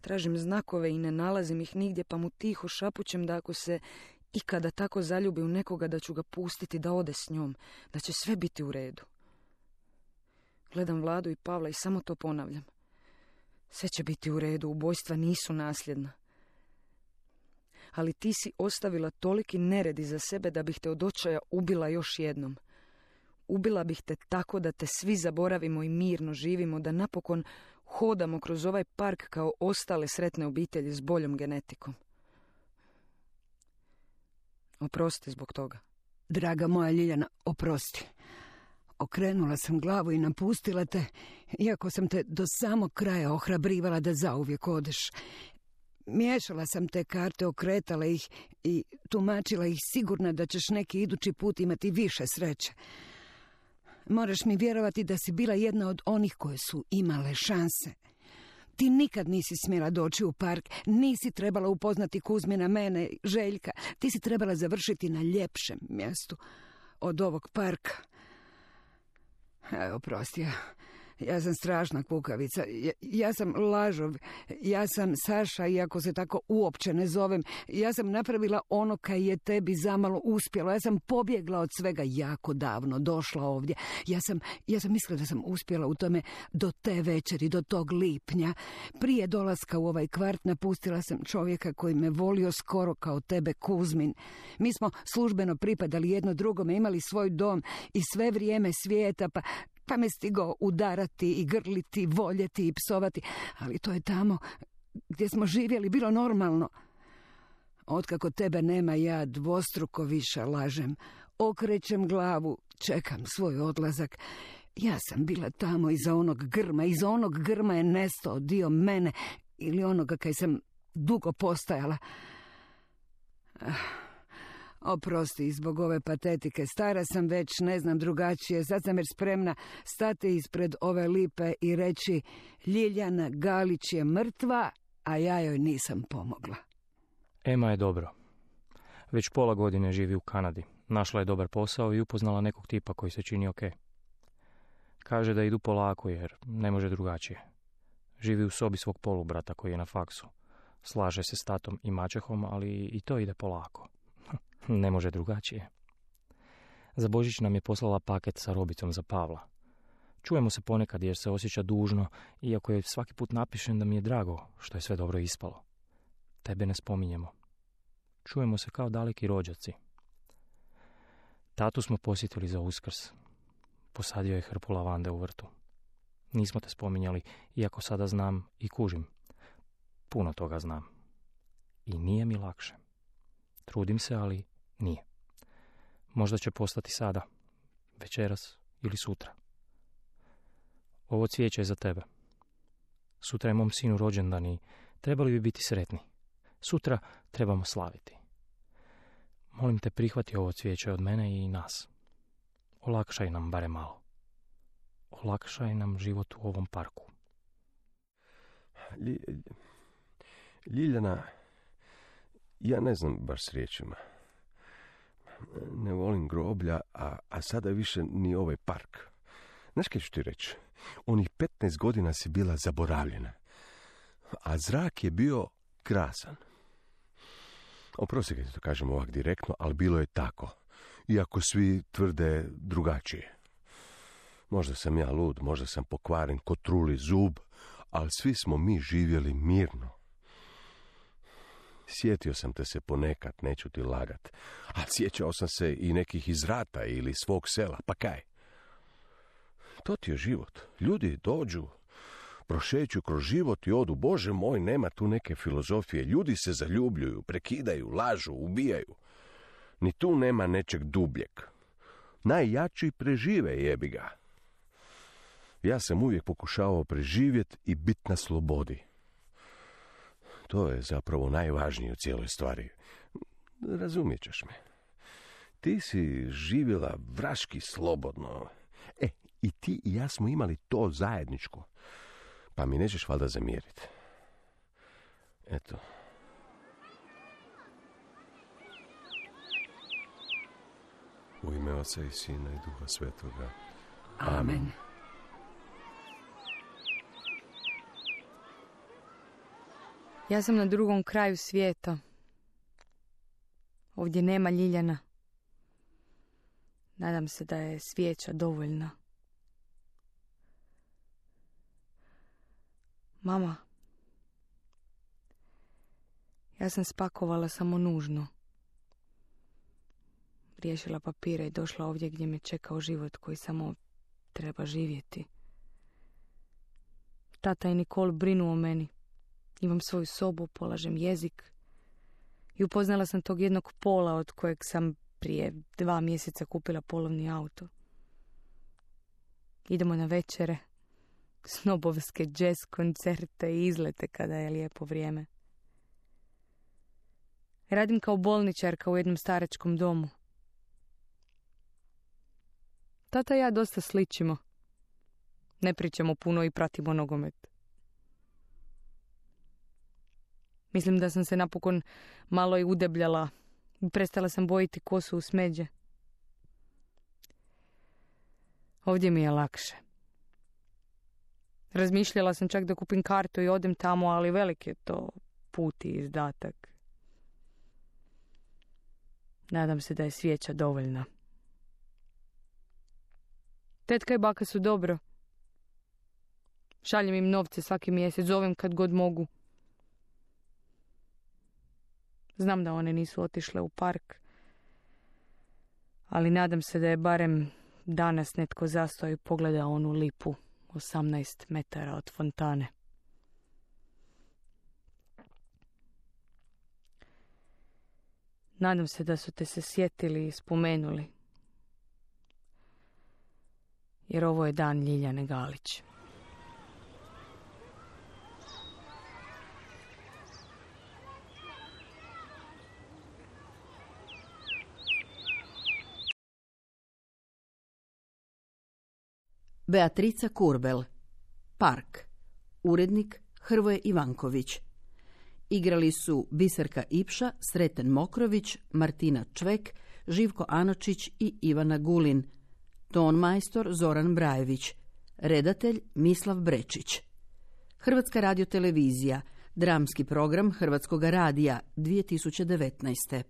Tražim znakove i ne nalazim ih nigdje, pa mu tiho šapućem da ako se ikada tako zaljubi u nekoga, da ću ga pustiti da ode s njom, da će sve biti u redu. Gledam Vladu i Pavla i samo to ponavljam. Sve će biti u redu, ubojstva nisu nasljedna. Ali ti si ostavila toliki nered iza sebe da bih te od očaja ubila još jednom. Ubila bih te tako da te svi zaboravimo i mirno živimo, da napokon hodamo kroz ovaj park kao ostale sretne obitelji s boljom genetikom. Oprosti zbog toga. Draga moja Ljiljana, oprosti. Okrenula sam glavu i napustila te, iako sam te do samog kraja ohrabrivala da zauvijek odeš. Miješala sam te karte, okretala ih i tumačila ih, sigurna da ćeš neki idući put imati više sreće. Moraš mi vjerovati da si bila jedna od onih koje su imale šanse. Ti nikad nisi smjela doći u park, nisi trebala upoznati Kuzmina, mene, Željka. Ti si trebala završiti na ljepšem mjestu od ovog parka. Evo, prosti, ja, ja sam strašna kukavica, ja, ja sam lažov, ja sam Saša, iako se tako uopće ne zovem. Ja sam napravila ono kaj je tebi zamalo uspjelo, ja sam pobjegla od svega jako davno, došla ovdje. Ja sam, ja sam mislila da sam uspjela u tome do te večeri, do tog lipnja. Prije dolaska u ovaj kvart napustila sam čovjeka koji me volio skoro kao tebe, Kuzmin. Mi smo službeno pripadali jedno drugome, imali svoj dom i sve vrijeme svijeta, pa... Pa me stigao udarati i grliti, voljeti i psovati, ali to je tamo gdje smo živjeli bilo normalno. Otkako tebe nema, ja dvostruko više lažem. Okrećem glavu, čekam svoj odlazak. Ja sam bila tamo iza onog grma, iza onog grma je nestao dio mene ili onoga kaj sam dugo postajala. Ah. Oprosti zbog ove patetike, stara sam već, ne znam drugačije, sad sam već spremna stati ispred ove lipe i reći Ljiljana Galić je mrtva, a ja joj nisam pomogla. Ema je dobro. Već pola godine živi u Kanadi. Našla je dobar posao i upoznala nekog tipa koji se čini ok. Kaže da idu polako jer ne može drugačije. Živi u sobi svog polubrata koji je na faksu. Slaže se s tatom i maćehom, ali i to ide polako. Ne može drugačije. Za Božić nam je poslala paket sa robicom za Pavla. Čujemo se ponekad jer se osjeća dužno, iako je svaki put napišem da mi je drago što je sve dobro ispalo. Tebe ne spominjemo. Čujemo se kao daleki rođaci. Tatu smo posjetili za Uskrs. Posadio je hrpu lavande u vrtu. Nismo te spominjali, iako sada znam i kužim. Puno toga znam. I nije mi lakše. Trudim se, ali nije. Možda će postati sada, večeras ili sutra. Ovo cvijeće je za tebe. Sutra je mom sinu rođendan i trebali bi biti sretni. Sutra trebamo slaviti. Molim te, prihvati ovo cvijeće od mene i nas. Olakšaj nam bare malo. Olakšaj nam život u ovom parku. Lji, Ljiljana, ja ne znam baš s riječima. Ne volim groblja, a, a sada više ni ovaj park. Znaš kaj ću ti reći? Onih petnaest godina si bila zaboravljena. A zrak je bio krasan. Oprosti kad ti to kažem ovak direktno, ali bilo je tako. Iako svi tvrde drugačije. Možda sam ja lud, možda sam pokvaren ko truli zub, ali svi smo mi živjeli mirno. Sjetio sam te se ponekad, neću ti lagat, a sjećao sam se i nekih iz rata ili svog sela, pa kaj? To ti je život. Ljudi dođu, prošeću kroz život i odu. Bože moj, nema tu neke filozofije. Ljudi se zaljubljuju, prekidaju, lažu, ubijaju. Ni tu nema nečeg dubljeg. Najjači prežive, jebi ga. Ja sam uvijek pokušavao preživjeti i biti na slobodi. To je zapravo najvažnije u cijeloj stvari. Razumijet ćeš me. Ti si živjela vraški slobodno. E, i ti i ja smo imali to zajedničko. Pa mi nećeš valjda zamjeriti. Eto. U ime Oca i Sina i Duha Svetoga. Amen. Amen. Ja sam na drugom kraju svijeta. Ovdje nema Ljiljana. Nadam se da je svijeća dovoljna. Mama, ja sam spakovala samo nužno. Riješila papire i došla ovdje gdje me čekao život koji samo treba živjeti. Tata i Nikol brinu o meni. Imam svoju sobu, polažem jezik. I upoznala sam tog jednog Pola od kojeg sam prije dva mjeseca kupila polovni auto. Idemo na večere, snobovske jazz koncerte i izlete kada je lijepo vrijeme. Radim kao bolničarka u jednom staračkom domu. Tata i ja dosta sličimo. Ne pričamo puno i pratimo nogomet. Mislim da sam se napokon malo i udebljala. Prestala sam bojiti kosu u smeđe. Ovdje mi je lakše. Razmišljala sam čak da kupim kartu i odem tamo, ali velik je to put i izdatak. Nadam se da je svijeća dovoljna. Tetka i baka su dobro. Šaljem im novce svaki mjesec, zovem kad god mogu. Znam da one nisu otišle u park, ali nadam se da je barem danas netko zastao i pogledao onu lipu osamnaest metara od fontane. Nadam se da su te se sjetili i spomenuli, jer ovo je dan Ljiljane Galić. Beatrica Kurbel. Park. Urednik Hrvoje Ivanković. Igrali su Biserka Ipša, Sreten Mokrović, Martina Čvek, Živko Anočić i Ivana Gulin. Ton majstor Zoran Brajević. Redatelj Mislav Brečić. Hrvatska radiotelevizija. Dramski program Hrvatskoga radija dvije tisuće devetnaeste.